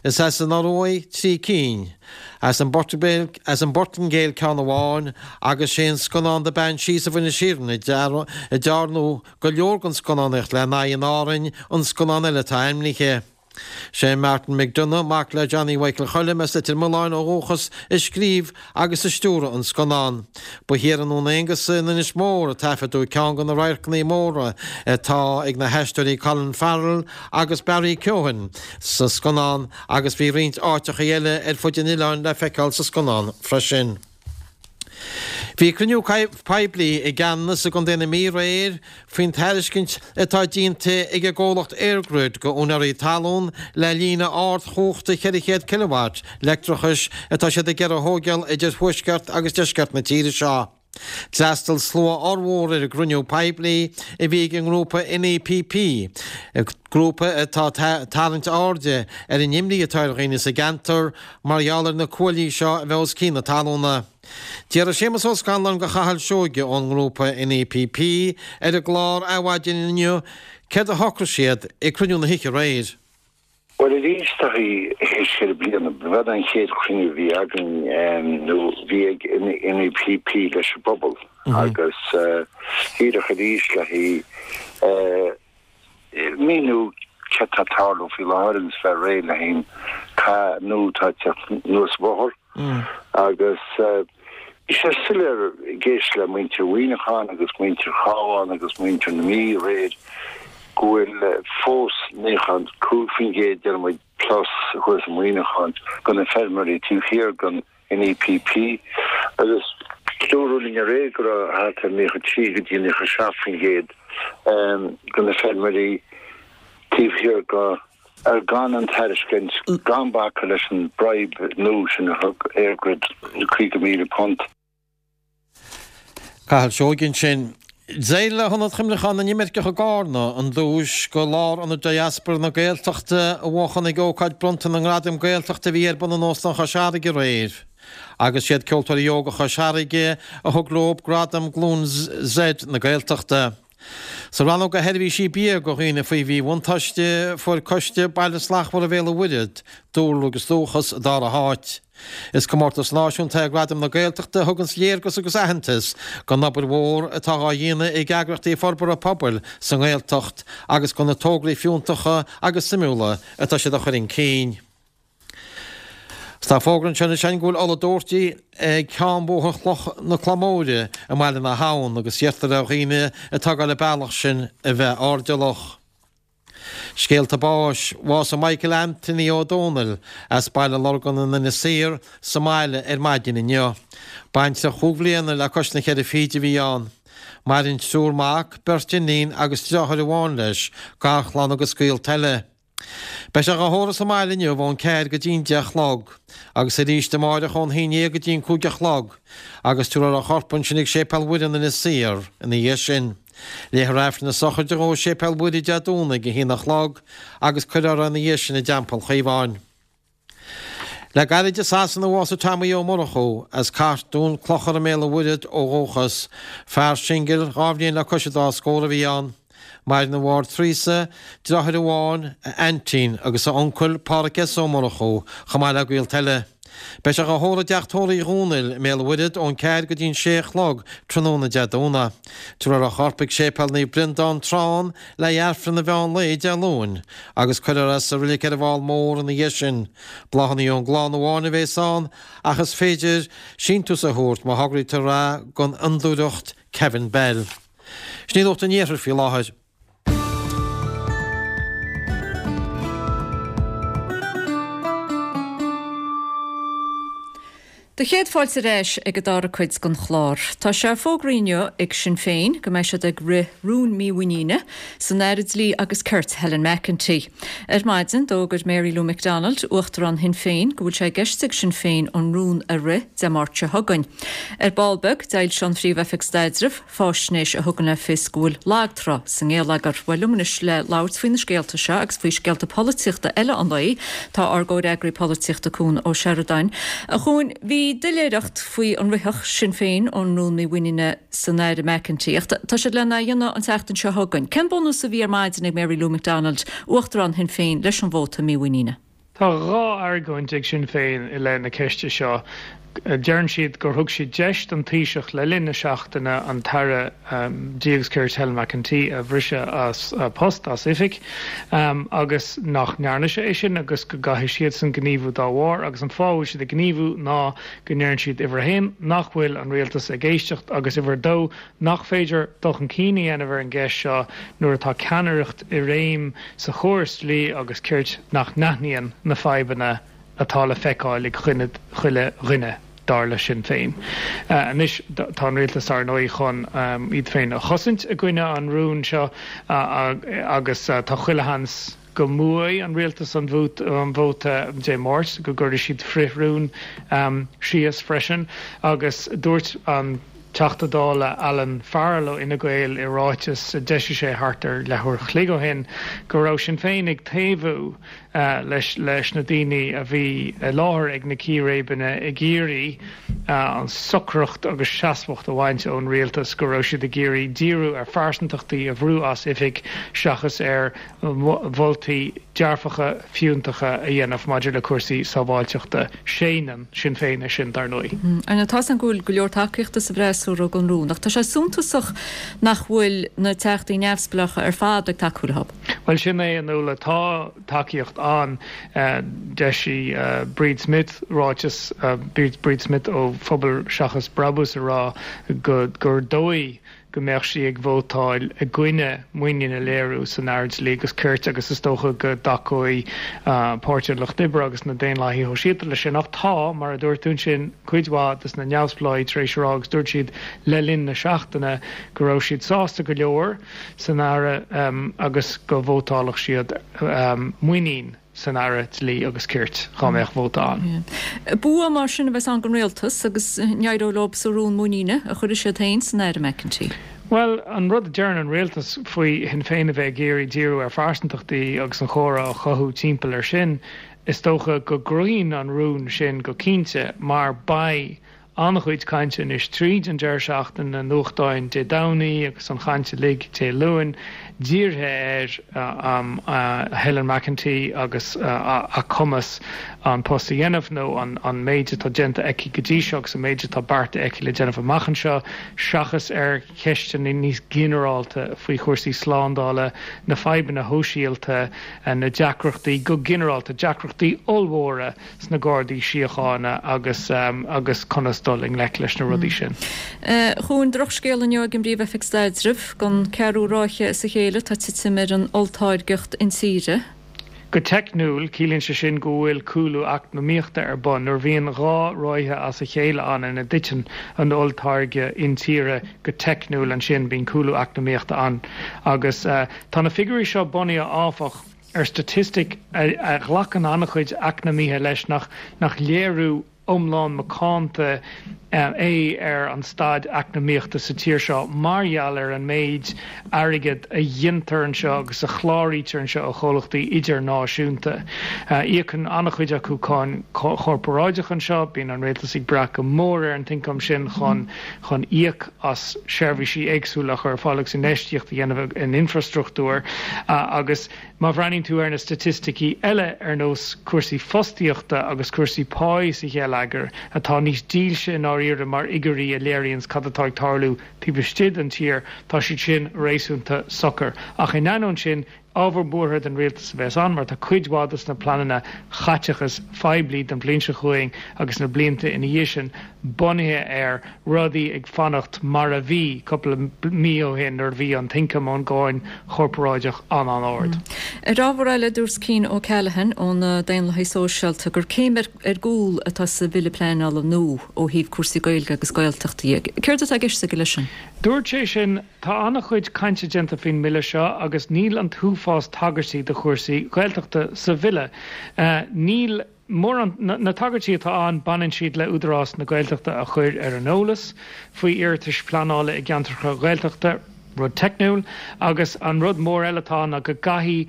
Is as an Ioruaidh trí cinn, as an bPortaingéil ceann amháin agus sé an scannán The Banshees of Inisherin a dearnadh go leor den scannánaíocht lena aghaidh in Árainn an scannán eile atá ainmnithe. Sé Martin McDonagh, mac le Johnny Mhichael Choilm as Leitir Mealláin ó dhúchas, a scríobh agus a stiúraigh an scannán. Ba thiar i nDún Aonghasa in Inis Mór a taifeadadh ceann de na radharcanna móra atá ag na haisteoirí Colin Farrell agus Barry Keoghan sa scannán agus bhí roinnt áiteacha eile ar fud an oileáin le feiceáil sa scannán freisin. Bhí cruinniú poiblí i gCeanannas i gContae na Mí aréir faoin tairiscint atá déanta ag an gcomhlacht EirGrid go úinéirí talún le líne ardchumhachta ceithre chéad kilowatt leictreachais atá siad ag iarraidh a thóigeáil idir thuaisceart agus deisceart na tíre seo. D'fhreastail slua ollmhór ar an gcruinniú poiblí a bhí ag an ngrúpa NEPP, grúpa atá ag tarraingt airde ar an imní atá ar dhaoine sa gceantar mar gheall ar na cuaillí seo a bheith os cionn na talúna. D'fhiafraigh Séamus Ó Scanláin de Chathal Seoige ón ngrúpa NEPP ar an gclár Adhmhaidin inniu céard a shocraigh siad ag cruinniú na hoíche aréir. Bhuel arís tá théis ceithre bliana, b'in an chéad chruinniú a bhí againn nó bhí ag NEPP leis an bpobal agus díreach arís le haghaidh míniú céard tá ag tarlú faoi láthair agus bheith réidh le haghaidh an cath nua atá ag teacht anuas an bóthar agus bhí sé soiléir ag éisteacht le muintir Mhuineacháin agus muintir Chabháin agus muintir na Mí aréir go bhfuil fós naocha cúig faoin gcéad, deir muid, plus thuas i Muineachán de na feirmeoirí taobh thiar den NEPP agus dúradh linn aréir go raibh thart ar naocha trí go dtí naocha seacht faoin gcéad de na feirmeoirí taobh thiar de ar gan an tairiscint, gan bacadh leis an bribe nua sin a thug EirGrid, caoga míle punt. Cathal Seoige ansin. D'éirigh le hIonad Chuimhneacháin na nImirceach i gCarna an duais do Lárionad Diaspora na Gaeltachta a bhuachan ag ócáid bronnta na nGradam Gaeltachta a bhí ar bun in Óstán Chois Fharraige aréir. Agus siad Ceoltóirí Óga Chois Fharraige a thug leo gradam Glúin Z na Gaeltachta. Sa rannóg do sheirbhísí bia do dhaoine faoi mhíbhuntáiste, fuair Coiste Baile Slachtmhar Bhéal an Mhuirthead, Dúlra agus Dúchas, an dara háit. Is comórtas náisiúnta é Gradaim na Gaeltachta a thuganns léargas agus aitheantas don obair mhór atá á dhéanamh ag eagraíochtaí forbartha pobail sa nGaeltacht agus do na tograí fiúntacha agus suimiúla atá siad a chur chun cinn. Tá fógra anseo anois againn go bhfuil ola dóirte ag ceann bhóthar Chloch na Claí Móire i mBaile na hAbhann agus iarrtar ar dhaoine atá ag dul an bealach sin a bheith airdeallach. Scéalta báis, Bhásaigh Michael Anthony Ó Dónaill as Baile Lorgan in Inis Oírr sa mbaile ar maidin inniu. Baintreach chúig bhliana le cois na ceithre fichid a bhí ann. Maireann triúr mac, beirt iníon agus deartháir amháin leis, garchlann agus gaolta eile. Beidh sé dhá thórramh sa mbaile inniu ón ceathair go dtí'n deich a chlog, agus arís amáireach ón haon dhéag go dtí'n cúig a chlog, agus tabharfar a chorp ansin ag Séipéal Mhuire in Inis Oírr ina dhiaidh sin. Léifear Aifreann na sochraide dhó i Séipéal Mhuire Dé Domhnaigh ag a haon a chlog agus cuirfear é ina dhiaidh sin i dTeampall Chaomháin. Le gairid i Sasana a bhásaigh Tommy Ó Murchú, as Cartún, Clochar i mBéal an Mhuirthead ó dhúchas. Fear singil, dhá bhliain le cois an dá scór a bhí ann. Maireann a mháthair Teresa, deartháir amháin, a aintín, agus a uncail, Pádhraic S. Ó Murchú, chomh maith le gaolta eile. Beidh sé dhá thórramh i dteach tórraimh Uí Dhónaill i mBéal an Mhuirthead ón ceathair go dtí'n sé a chlog tráthnóna Dé Domhnaigh. Tabharfar a chorp ag Séipéal Naomh Breandán, Trán, le haghaidh Aifreann an mheán lae Dé Luain agus cuirfear é sa reilig ar an bhFál Mór ina dhiaidh sin. Bláthanna ón gclann amháin a bhéas ann ach is féidir síntiús a thabhairt má thograítear é don Fhondúireacht Kevin Bell. Sin í Nuacht an Iarthair faoi láthair. Do chéad fáilte ar ais ag an dara cuid den chlár. Tá sé fógraithe inniu ag Sinn Féin go mbeidh siad ag rith rún mímhuiníne san Aire Dlí agus Cirt Helen McEntee. Ar maidin, d'fhógair Mary Lou McDonald, Uachtarán Shinn Féin, go bhfuil sé i gceist ag Sinn Féin an rún a rith Dé Máirt seo chugainn. Ar ball beag, d'fhoilsigh an Phríomh-Oifig Staidrimh faisnéis a thugann le fios go bhfuil lagtrá sa ngeilleagar. Bhuel, liom anois le labhairt faoi na scéalta seo agus faoi scéalta polaitíochta eile an lae, tá ár gcomhfhreagraí polaitíochta Cuan Ó Seireadáin. A Chuain, bhí doiléireacht faoi an rithfeadh Sinn Féin an rún mímhuiníne san Aire McEntee ach tá siad lena dhéanamh an tseachtain seo chugainn. Cén bunús a bhí ar maidin ag Mary Lou McDonald, Uachtarán Shinn Féin, leis an vóta mímhuiníne? Tá dhá argóint ag Sinn Féin i leith na ceiste seo. Deireann siad gur thug siad deis don Taoiseach le linn na seachtaine an tAire Dlí agus Cirt Helen McEntee a bhriseadh as post, as oifig, agus nach ndearna sé é sin agus go gcaithfidh siadsan gníomhú dá bharr. Agus an fáth a bhfuil siad ag gníomhú ná go ndeireann siad, uimhir a haon, nach bhfuil an rialtas ag éisteacht agus uimhir a dó, nach féidir dul chun cinn a dhéanamh ar an gceist seo nuair atá ceannaireacht i réim sa chóras dlí agus cirt nach n-aithníonn na fadhbanna atá le feiceáil ag chuile dhuine, dar le Sinn Féin. Anois, tá an rialtas, ar ndóigh, chun iad féin a chosaint i gcoinne an rúin seo agus tá chuile sheans go mbuafaidh an rialtas an vóta Dé Máirt, go gcuirfidh siad frith-rún síos freisin. Agus dúirt an Teachta Dála Alan Farrell ó Fhine Gael i ráiteas a d'eisigh sé thart ar leathuair a chloig ó shin go raibh Sinn Féin ag taobhú leis leis na daoine a bhí i láthair ag na círéibeanna ag iarraidh an socracht agus seasmhacht a bhaint ón rialtas, go raibh siad ag iarraidh díriú ar phearsantachtaí a bhrú as oifig seachas ar mholtaí dearfacha fiúntacha a dhéanamh maidir le cúrsaí sábháilteachta. Séanann Sinn Féin é sin, dar ndóigh. Ar ndóigh, tá's agam go bhfuil go leor tacaíochta sa bhfreasúra don rún, ach tá sé suntasach nach bhfuil na teachtaí neamhspleácha ar fad ag tacú leo. Bhuel, sin é, a Nuala. Tá tacaíocht ann. D'eisigh Bríd Smith ráiteas, Bríd Smith ó Phobal Seachas Brabús, ag rá gur dóigh go mbeadh sí ag vótáil i gcoinne muinín a léiriú san Aire Dlí agus Cirt agus is dócha go dtacóidh Páirtí an Lucht Oibre agus na Daonlathaithe Shóisialta leis sin. Ach tá, mar a dúirt tú ansin, cuid mhaith de na neamhspleáigh tar éis a rá agus dúirt siad le linn na seachtaine go raibh siad sásta go leor san Aire agus go vótálfadh siad muinín san Aire Dlí agus Cirt dhá mbeadh vóta ann. Bua mar sin a bheas ann don rialtas agus an éireoidh leo sa rún muiníne a chuirfidh siad féin san Aire McEntee. Bhuel, an rud a deireann an rialtas faoi Shinn Féin a bheith ag iarraidh díriú ar phearsantachtaí agus an chomhrá a chothú timpeall air sin, is dócha go gcruthaíonn an rún sin go cinnte mar beidh an-chuid cainte anois tríd an deireadh seachtaine, na nuachtáin Dé Domhnaigh agus an chaint uilig Dé Luain, dírithe ar Helen McEntee agus a cumas an post a dhéanamh nó an méid atá déanta aici go dtí seo agus an méid atá beartaithe aici le déanamh amach anseo seachas ar cheisteanna níos ginearálta faoi chúrsaí slándála, na fadhbanna shóisialta, na deacrachtaí go ginearálta, deacrachtaí ollmhóra sna Gardaí Síochána agus agus conas dul i ngleic leis na rudaí sin. A Chuain, drochscéal inniu ag an bPríomh-Oifig Staidrimh, don ceathrú ráithe as a chéile tá titim ar an olltáirgeacht intíre. Go teicniúil, ciallaíonn sé sin go bhfuil cúlú eacnamaíochta ar bun. Nuair a bhíonn dhá ráithe as a chéile ann ina dtiteann an olltáirgeadh intíre go teicniúil, ansin bíonn cúlú eacnamaíochta ann. Agus tá na figiúirí seo bunaithe, áfach, ar staitistic a ghlacann an-chuid eacnamaithe leis nach nach léiriú iomlán macánta é ar an staid eacnamaíochta sa tír seo mar gheall ar an méid airgead a ghintear anseo agus a chláraítear anseo ó chomhlachtaí idirnáisiúnta. Íocann an-chuid acu cáin chorparáideach anseo, bíonn an rialtas ag brath go mór ar an t-ioncam sin chun chun íoc as seirbhísí éagsúla a chur ar fáil agus infheistíocht a dhéanamh in infrastruchtúr agus Má bhreathnaíonn tú ar na staitisticí eile ar nós cúrsaí fostaíochta agus cúrsaí páí sa gheilleagar, atá níos dílse i ndáiríre mar fhigiúirí a léiríonns cad atá ag tarlú taobh istigh den tír, tá siad sin réasúnta socair. Ach in ainneoin sin, ábhar buartha don rialtas a bheas ann mar tá cuid mhaith dos na pleananna chaiteachais phoiblí don bhliain seo chugainn agus na blianta ina dhiaidh sin bunaithe ar rudaí ag fanacht mar a bhí cúpla mí ó shin nuair a bhí an t-ioncam ón gcáin chorparáideach an-an-ard. Ar ábhar eile, dúirt Cian O'Callaghan ó na Daonlathaigh Sóisialta gur céim ar gcúl atá sa bhille pleanála nua ó thaobh cúrsaí Gaeilge agus Gaeltachta dhe. Céard atá i gceist aige leis sin? Dúirt sé sin, Tá an-chuid cainte déanta faoin mbille seo agus níl an t-uafás tagairtí do chúrsaí Gaeltachta sa bhille. Níl mórán, na tagairtí atá ann, baineann siad le Údarás na Gaeltachta a chur ar an eolas faoi iarratais pleanála i gceantracha Ghaeltachta, rud teicniúil, agus an rud mór eile atá ann ná go gcaithfidh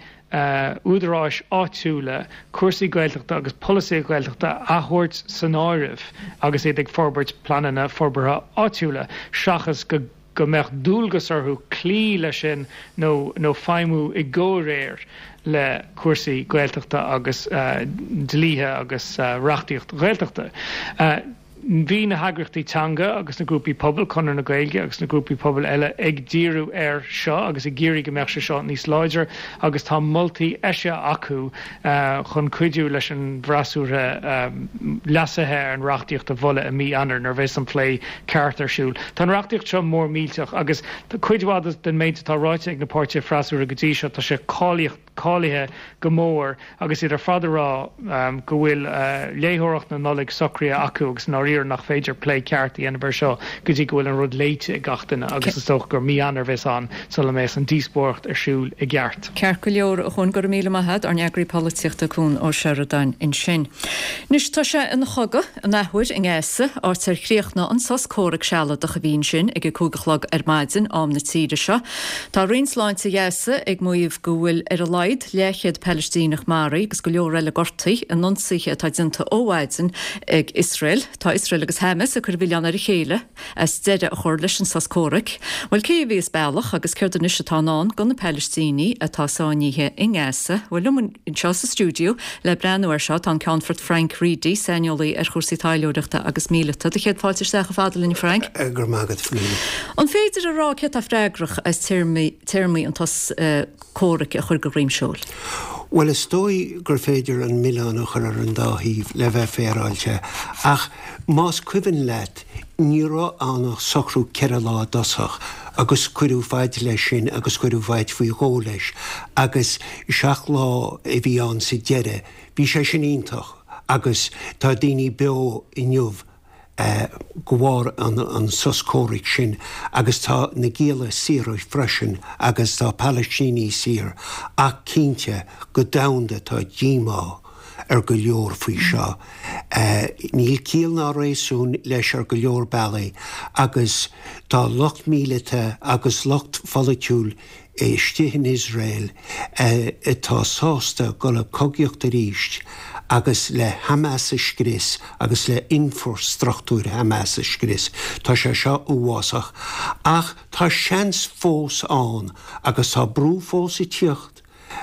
údaráis áitiúla cúrsaí Gaeltachta agus polasaithe Gaeltachta a thabhairt san áireamh agus iad ag forbairt pleananna forbartha áitiúla, seachas go go mbeadh dualgas orthu cloí leis sin nó nó feidhmiú i gcomhréir le cúrsaí Gaeltachta agus dlíthe agus reachtaíocht Ghaeltachta. Bhí na heagraíochtaí teanga agus na grúpaí pobail, Conradh na Gaeilge agus na grúpaí pobail eile, ag díriú air seo agus ag iarraidh go mbeadh sé seo níos láidre agus tá moltaí eisithe acu chun cuidiú leis an bhfreasúra leasuithe ar an reachtaíocht a mholadh i mí Eanáir nuair a bheas an plé ceart ar siúl. Tá an reachtaíocht seo mór millteach agus cuid mhaith den méid atá ráite ag na páirtithe freasúra go dtí seo, tá sé cáilithe go mór agus iad ar fad ag rá go bhfuil léitheoireacht na Nollag socraithe acu agus i ndáiríre nach féidir plé ceart a dhéanamh air seo go dtí go bhfuil an rud léite ag gach duine agus is dócha gur mí Eanáir a bheas ann sula mbeas an díospóireacht ar siúl i gceart. Ceart go leor, a Chuain, go raibh míle maith agat, ár n-eagraí polaitíochta Cuan Ó Seireadáin ansin. Anois tá sé ina chogadh an athuair i nGaza, áit ar chríochnaigh an sos comhraic sealadach a bhí ansin ag a cúig a chlog ar maidin, am na tíre seo. Tá Roinn Sláinte Ghaza ag maíomh go bhfuil ar a laghad leathchéad Palaistíneach maraithe agus go leor eile gortaithe in ionsaithe atá déanta ó mhaidin ag Iosrael. Tá Iosrael agus Hamas ag cur an mhilleáin ar a chéile as deireadh a chur leis an sos comhraic. Bhuel, cé a bhí as bealach agus céard anois atá i ndán do na Palaistínigh atá sáinnithe i nGaza? Bhuel, liom anseo sa stiúideo le breathnú air seo tá an Ceannfort Frank Reidy, saineolaí ar chúrsaí taidhleoireachta agus míleata. Do chéad fáilte isteach chomh fada linn, a Frank. Go raibh maith agat, Fionnuala. An féidir a rá cé atá freagrach as téarmaí an tsos comhraic a chur de dhroim seoil? Bhuel, is dóigh gur féidir an milleán a chur ar an dá thaobh, le bheith féaráilte, ach más cuimhin leat, ní raibh ann ach socrú ceithre lá i dtosach agus cuireadh faid leis sin agus cuireadh faid faoi dhó leis agus seacht lá a bhí ann sa deireadh. Bhí sé sin iontach agus tá daoine beo inniu de bharr an sos comhraic sin agus tá na gialla saor freisin agus tá Palaistínigh saor ach cinnte go domhanda tá díomá ar go leor faoi seo. Níl ciall ná réasún leis ar go leor bealaí agus tá lucht míleata agus lucht pholaitiúil istigh in Iosrael atá sásta dul ag cogaíocht arís agus le Hamas a scrios agus le infreastruchtúr Hamas a scrios. Tá sé seo uafásach. Ach tá seans fós ann agus tá brú fós ag tíocht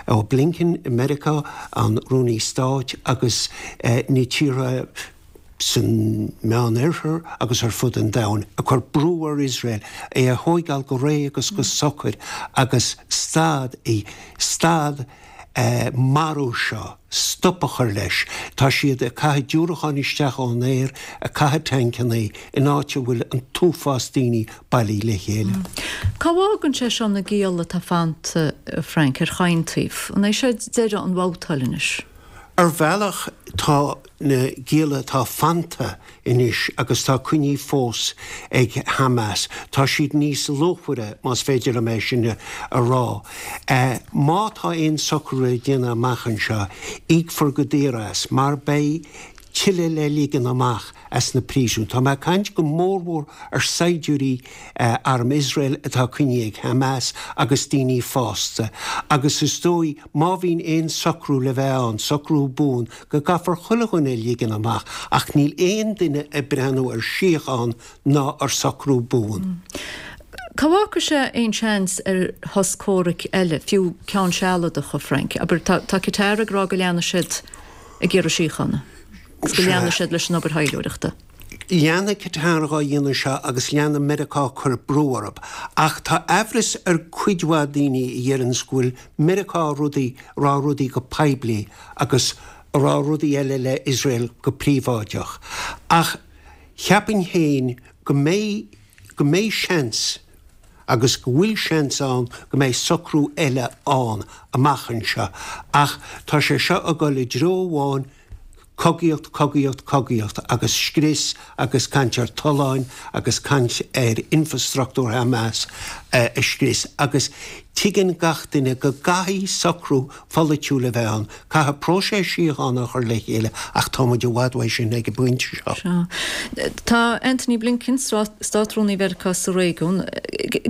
ó Blinken i Meiriceá, an Rúnaí Stáit agus na tíortha san Meánoirthear agus ar fud an domhain, ag cur brú ar Iosrael é a thóigeáil go réidh agus go socair agus stad, stad marú seo, stop a chur leis. Tá siad ag caitheamh diúracáin isteach ón aer, ag caitheamh tancanna in áit a bhfuil an t-uafás daoine bailithe le chéile. Cá bhfágann sé seo na gialla atá fanta, a Frank, ar chaon taobh? An é seo deireadh an bhabhtáil anois? Ar bhealach tá na gialla atá fanta anois agus tá coinnithe fós ag Hamas, tá siad níos luachmhaire, más féidir liom é sin a rá. Má tá aon socrú le déanamh amach anseo, íocfar go daor as, mar beidh tuilleadh le ligean amach as na príosúin. Tá mé ag caint go mórmhór ar saighdiúirí Arm Iosrael atá coinnithe ag Hamas agus daoine fásta. Agus is dóigh, má bhíonn aon socrú le bheith ann, socrú buan, go gcaithfear chuile dhuine a ligean amach. Ach níl aon duine ag breathnú ar shíocháin ná ar socrú buan. Cá bhfágfaidh sé aon seans ar shos comhraic eile, fiú ceann sealadach, a Frank? Abair, tá Qatar ag rá go leanfaidh siad ag iarraidh síochána agus go leanfaidh siad leis an obair thaidhleoireachta. Leanfaidh Qatar dhá dhéanamh seo agus leanfaidh Meiriceá ag cur brú orthu. Ach tá aimhreas ar cuid mhaith daoine a dheireanns go bhfuil Meiriceá rudaí, rá rudaí go poiblí agus a rá rudaí eile le Iosrael go príobháideach. Ach cheapfainn féin go mbeidh, go mbeidh seans agus go bhfuil seans ann go mbeidh socrú eile ann amach anseo. Ach tá sé seo ag dul i dtreo amháin, cogaíocht, cogaíocht, cogaíocht agus scrios agus caint ar tolláin agus caint ar infrastruchtúr Hamas a scrios agus tuigeann gach duine go gcaithfidh socrú pholaitiúil a bheith ann, caithfidh próiseas síochána a chur le chéile ach tá muid i bhfad uaidh sin ag an bpointe seo. Sea. Tá Antony Blinken, Státrúnaí Mheiriceá sa réigiún.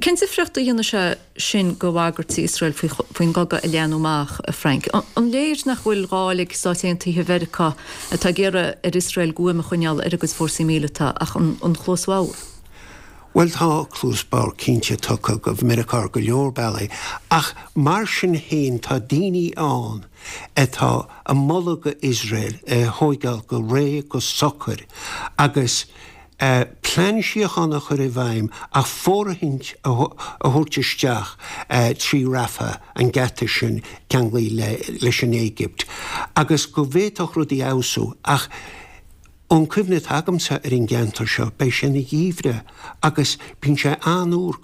Cén difríocht a dhéanfaidh sé sin do bhagairtí Iosrael faoin gcogadh a leathnú amach, a Frank? An léir nach bhfuil dáil ag Stáit Aontaithe Mheiriceá atá ag iarraidh ar Iosrael guaim a choinneáil ar a gcuid fórsaí míleata ach an chluas bhodhar? Bhuel, tá cluas bhodhar cinnte tugtha do Mheiriceá ar go leor bealaí, ach mar sin féin tá daoine ann atá ag moladh do Iosrael é a thóigeáil go réidh, go socair agus plean síochána a chur i bhfeidhm ach fóirithint a thabhairt isteach trí Rafah, an geata sin ceanglaithe leis an Éigipt, agus go bhféadfadh rudaí fheabhsú. Ach ón cuimhne atá agamsa ar an gceantar seo, beidh sé ina gheimhreadh agus bíonn sé an-fhuar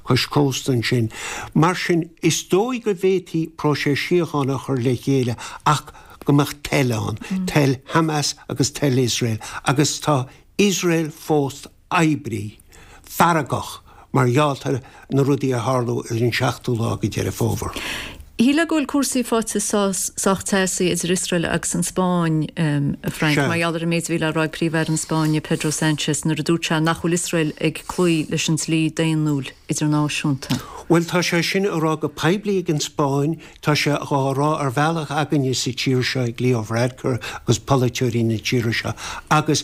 cois cósta ansin. Mar sin, is dóigh go bhféadfaí próiseas síochána a chur le chéile ach go mbeadh toil ann, toil Hamas agus toil Iosrael, agus tá Iosrael fós oibrithe, feargach mar gheall ar na rudaí a tharla ar an seachtú lá de Dheireadh Fómhair. Shílfeá go bhfuil cúrsaí faighte sách teasaí idir Iosrael agus an Spáinn, a Frank, mar gheall ar an méid a bhí le rá ag Príomh-Aire na Spáinne, Pedro Sánchez, nuair a dúirt sé nach bhfuil Iosrael ag cloí leis an dlí daonnúil idirnáisiúnta. Bhuel, tá sé sin á rá go poiblí ag an Spáinn, tá sé dhá rá ar bhealach againne sa tír seo ag Leo Varadkar agus polaiteoirí na tíre seo agus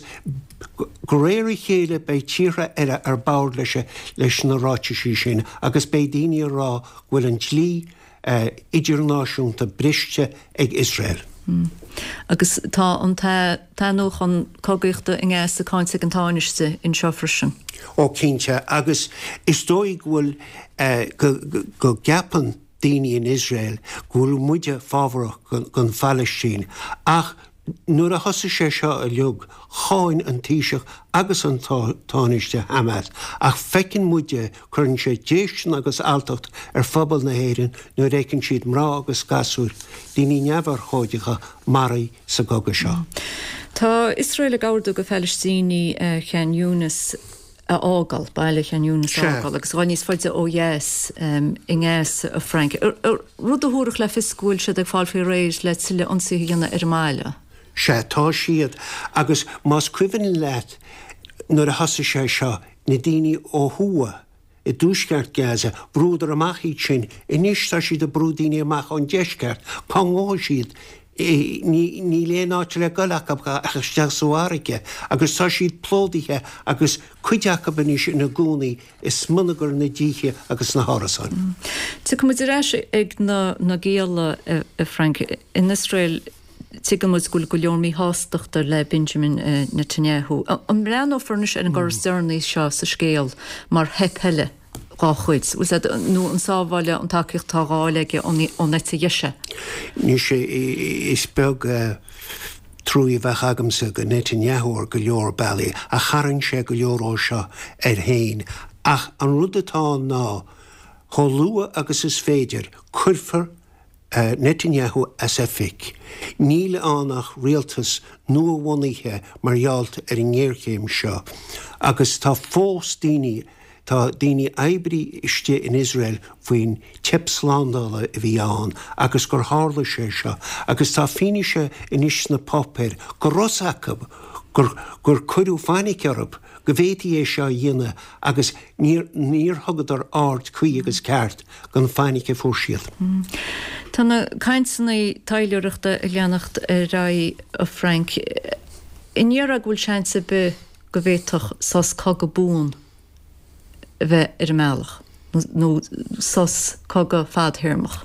de réir a chéile beidh tíortha eile ar bord leis leis na ráitisí sin agus beidh daoine ag rá go bhfuil an dlí idirnáisiúnta briste ag Iosrael. Agus tá an t-athnuachan cogaíochta i nGaza cáinte ag an Tánaiste anseo freisin. Ó cinnte, agus is dóigh go bhfuil go gceapann daoine in Iosrael go bhfuil muide fábharach don Phalaistín ach Nuair a thosaigh sé seo uilig, cháin an Taoiseach agus an Tánaiste Hamas, ach feiceann muide, cuireann sé déistin agus alltacht ar phobal na hÉireann nuair a fheiceann siad mná agus gasúir, daoine neamhurchóideacha, maraithe sa gcogadh seo. Tá Iosrael ag ordú do Phalaistínigh Khan Younis a fhágáil, baile Khan Younis a fhágáil agus a dhul níos faide ó dheas i nGaza, a Frank, rud a thabharfadh le fios go bhfuil siad ag fáil faoi réir le tuilleadh ionsaithe a dhéanamh ar an mbaile. Sea, tá siad, agus más cuimhin leat nuair a thosaigh sé seo, na daoine ó thuaidh i dtuaisceart Gaza, bhrúdar amach iad sin, anois tá siad ag brú daoine amach ón deisceart, cá ngabhfaidh siad? Níl aon áit le goil acu ach isteach sa bhfarraige agus tá siad plódaithe agus cuid acu anois ina gcónaí i smionagar na dtithe agus na hárasáin. Tiocfaidh muid ar ais ag na gialla, a Frank. In Iosrael tuigeann muid go bhfuil go leor míshástachta le Benjamin Netanyahu. An mbreathnófar anois ar an gcor is deireanaí seo sa scéal mar theip eile? dhá chuid, bhfuil a fhios agat, nó an sábháladh an tacaíocht atá á fháil aige ón eite dheise? Anois, is beag truaí a bheadh agamsa go Netanyahu ar go leor bealaí, ach tharraing sé go leor ó seo air féin. Ach an rud atá ann ná, chomh luath agus is féidir, cuirfear Netanyahu as oifig. Níl ann ach rialtas nua-bhunaithe mar gheall ar an ngéarchéim seo agus tá fós daoine, tá daoine oibrithe istigh in Iosrael faoin teip slándála a bhí ann agus gur tharla sé seo agus tá fianaise anois sna páipéir go raibh fhios acu gur gur cuireadh fainic orthu go bhféadfaí é seo a dhéanamh agus níor níor thugadar aird cuí agus ceart don fainic a fuair siad. Tá na cainteanna taidhleoireachta ag leanacht ar aghaidh, a Frank. An ndéarfá go bhfuil seans ar bith go bhféadfadh sos cogaidh buan a bheith ar an mbealach, nó sos cogaidh fadthéarmach?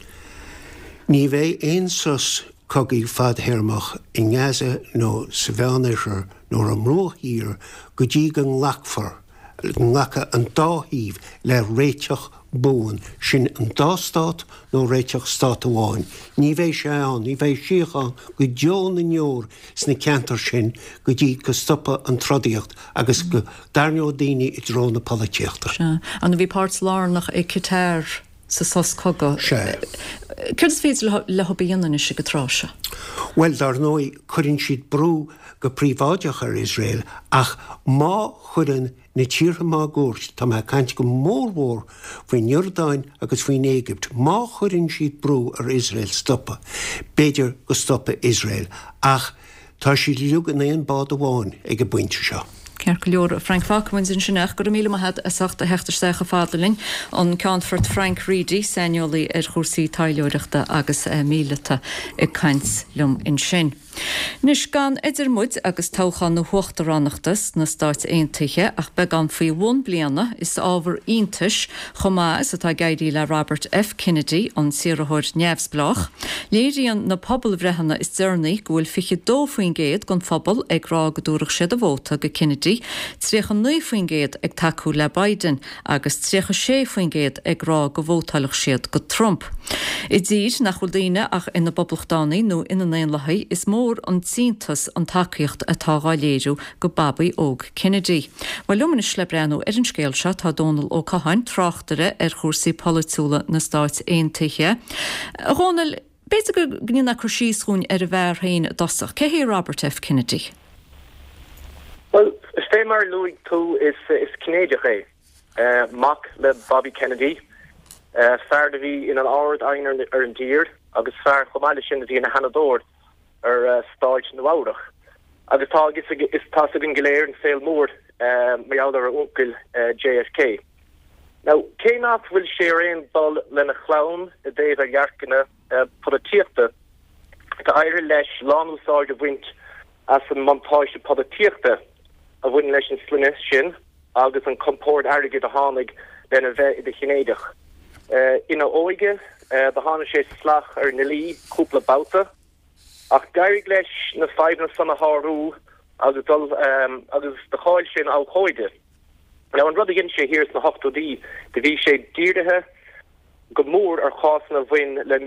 Ní bheidh aon sos cogaidh fadthéarmach i nGaza nó sa Mheánoirthear nó ar an mBruach Thiar go dtí go nglacfar, go nglacfaidh an dá thaobh le réiteach buan, sin an dá stát nó réiteach stát amháin. Ní bheidh sé ann, ní bheidh síocháin go deo na ndeor sna ceantair sin go dtí go stopfaidh an trodaíocht agus go dtarraingeoidh daoine i dtreo na polaitíochta. Sea. An bhí páirt lárnach ag Qatar sa sos cogaidh. Sea. Céard is féidir leo a dhéanamh anois ag an tráth seo? Bhuel, dar ndóigh, cuireann siad brú go príobháideach ar Iosrael ach má chuireann na tíortha máguaird, tá mé ag caint go mórmhór faoin Iordáin agus faoin Éigipt, má chuireann siad brú ar Iosrael stopadh, b'fhéidir go stopfaidh Iosrael. Ach tá siad uilig in aon bád amháin ag an bpointe seo. Ceart go leor, a Frank, fágfaidh muid ansin é ach go raibh míle maith agat as ucht a theacht isteach chomh fada linn. An Ceannfort Frank Reidy, saineolaí ar chúrsaí taidhleoireachta agus míleata ag caint liom ansin. Anois, gan idir muid agus toghchán na huachtaránachta sna Stáit Aontaithe ach beagán faoi bhun bliana, is ábhar iontais chomh maith is atá ag éirí le Robert F. Kennedy, an t-iarrthóir neamhspleách. Léiríonn na pobalbhreitheanna is deireanaí go bhfuil fiche dó faoin gcéad den phobal ag rá go dtabharfadh siad a vóta go Kennedy, tríocha naoi faoin gcéad ag tacú le Biden agus tríocha sé faoin gcéad ag rá go vótálfadh siad go Trump. I dtír nach bhfuil daoine ach ina bPoblachtánaigh nó ina nDaonlathaigh, is mór an t-iontas an tacaíocht atá dhá léiriú go Babaí óg Kennedy. Bhuel, liom anois le breathnú ar an scéal seo tá Dónal Ó Catháin, tráchtaire ar chúrsaí polaitiúla na Stáit Aontaithe. A Dhónaill, b'fhéidir go ndéanfá cur síos dhúinn ar an bhfear féin i dtosach. Cé hé Robert F. Kennedy? Bhuel, fé mar a luaigh tú, is Cinnéideach é. Mac le Bobby Kennedy, fear a bhí ina Ard-Aighne ar an dtír agus fear chomh maith leis sin a bhí ina Sheanadóir ar Stáit Nua-Eabhrac. Agus tá a fhios againn go léir an saol mór mar gheall ar a uncail JFK. Now, cé nach bhfuil sé ar aon dul lena chlann i dtaobh a dhearcanna polaitíochta, tá éirithe leis lánúsáid a bhaint as an mbuntáiste polaitíochta a bhaineann leis an sloinne sin agus an compord airgid a tháinig lena bheith i do Chinnéideach. Ina óige, do tháinig sé salach ar an ndlí cúpla babhta, ach d'éirigh leis na fadhbanna san a shárú agus dul agus do cháiligh sé ina abhcóide. Now an rud a dhein sé thiar sna hochtóidí, do bhí sé dírithe go mór ar chásanna a bhain le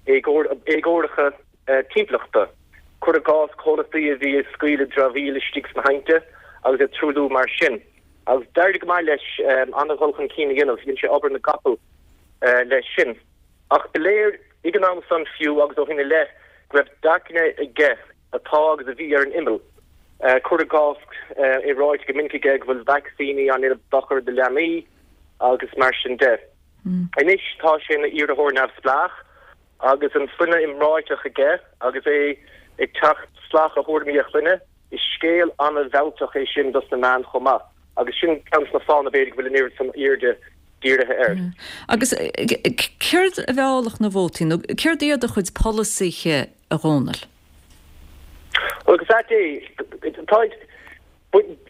mí-éagóracha timpeallachta, cuir i gcás comhlachtaí a bhí ag scaoileadh dramhaíl istigh sna haibhnte agus ag truailliú mar sin. Agus d'éirigh go maith leis an-dhul chun cinn a dhéanamh, dhein sé obair na gcapall leis sin. Ach ba léir ag an am san fiú agus ó shin i leith go raibh dearcanna aige atá agus a bhí ar an imeall. Cuir i gcás, é ráite go minic aige go bhfuil vacsaíní á ndéanamh dochar do leanaí agus mar sin de. Anois tá sé ina iarrthóir neamhspleách agus an sloinne iomráiteach aige agus é ag teacht salach ar thuairimí a chlainne. Is scéal an-mhealltach é sin dos na meáin chomh maith agus sin ceann de na fáthanna b'fhéidir go bhfuil an oiread san airde dírithe air. Agus céard a mheallfadh na vótaí nó céard iad a chuid polasaithe, a Dhónaill? Bhuel, go ait é,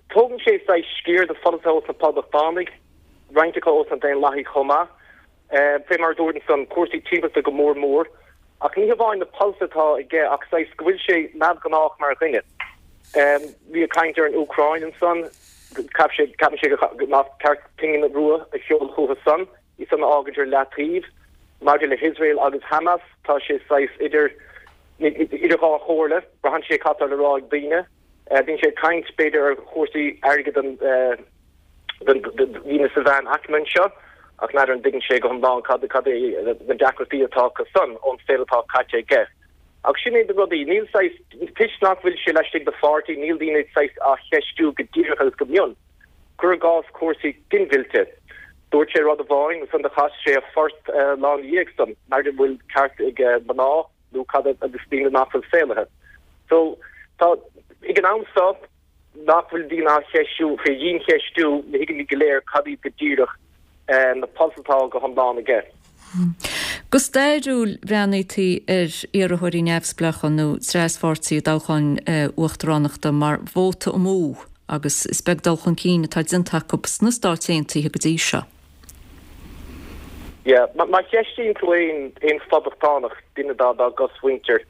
tógann sé saghas sciar de pholasaithe ós na Poblachtánaigh, roinnt acu ós na Daonlathaigh chomh maith. Fé mar a dúirt ansan, cúrsaí timpeallachta go mór mór. Ach ní hamháin na polasaithe atá aige ach saghas go bhfuil sé neamhghnách mar dhuine. Bhí ag caint ar an Úcráin ansan, Ceap sé, ceapann sé nach ceart pingin rua a sheoladh chucu san, í san a fhágaint ar leataobh. Maidir le hIosrael agus Hamas, tá sé saghas idir idir dhá chomhairle, braitheann sé cad tá le rá ag daoine. Bíonn sé ag caint, b'fhéidir, ar chúrsaí airgid don daoine sa mheánaicme anseo, ach n'fheadar an dtuigeann sé go hiomlán cad cad é na deacrachtaí atá acu san ón saol atá caite aige. Ach sin é na rudaí, níl saghas, toisc nach bhfuil sé laistigh de pháirtí, níl daoine saghas á cheistiú go díreach agus go mion. Cuir i gcás cúrsaí ginmhillte. Dúirt sé rud amháin, ansan do chas sé a phort lá ina dhiaidh san, n'fheadar an bhfuil ceart ag mná nó cad agus daoine nach bhfuil saolaithe. So, tá, ag an am seo, nach bhfuil daoine á cheistiú, faoi dhiancheistiú, ní thuigimid go léir cad iad go díreach na polasaithe atá go hiomlán aige. Go stairiúil, bhreathnaítí ar iarrthóirí neamhspleácha nó traspháirtí i dtoghcháin uachtaránachta mar vóta amú agus is beag dul chun cinn atá déanta acu sna Stáit Aontaithe go dtí seo. Yeah, má cheistíonn tú aon aon phoblachtánach, duine dá dá gcosmhuintir,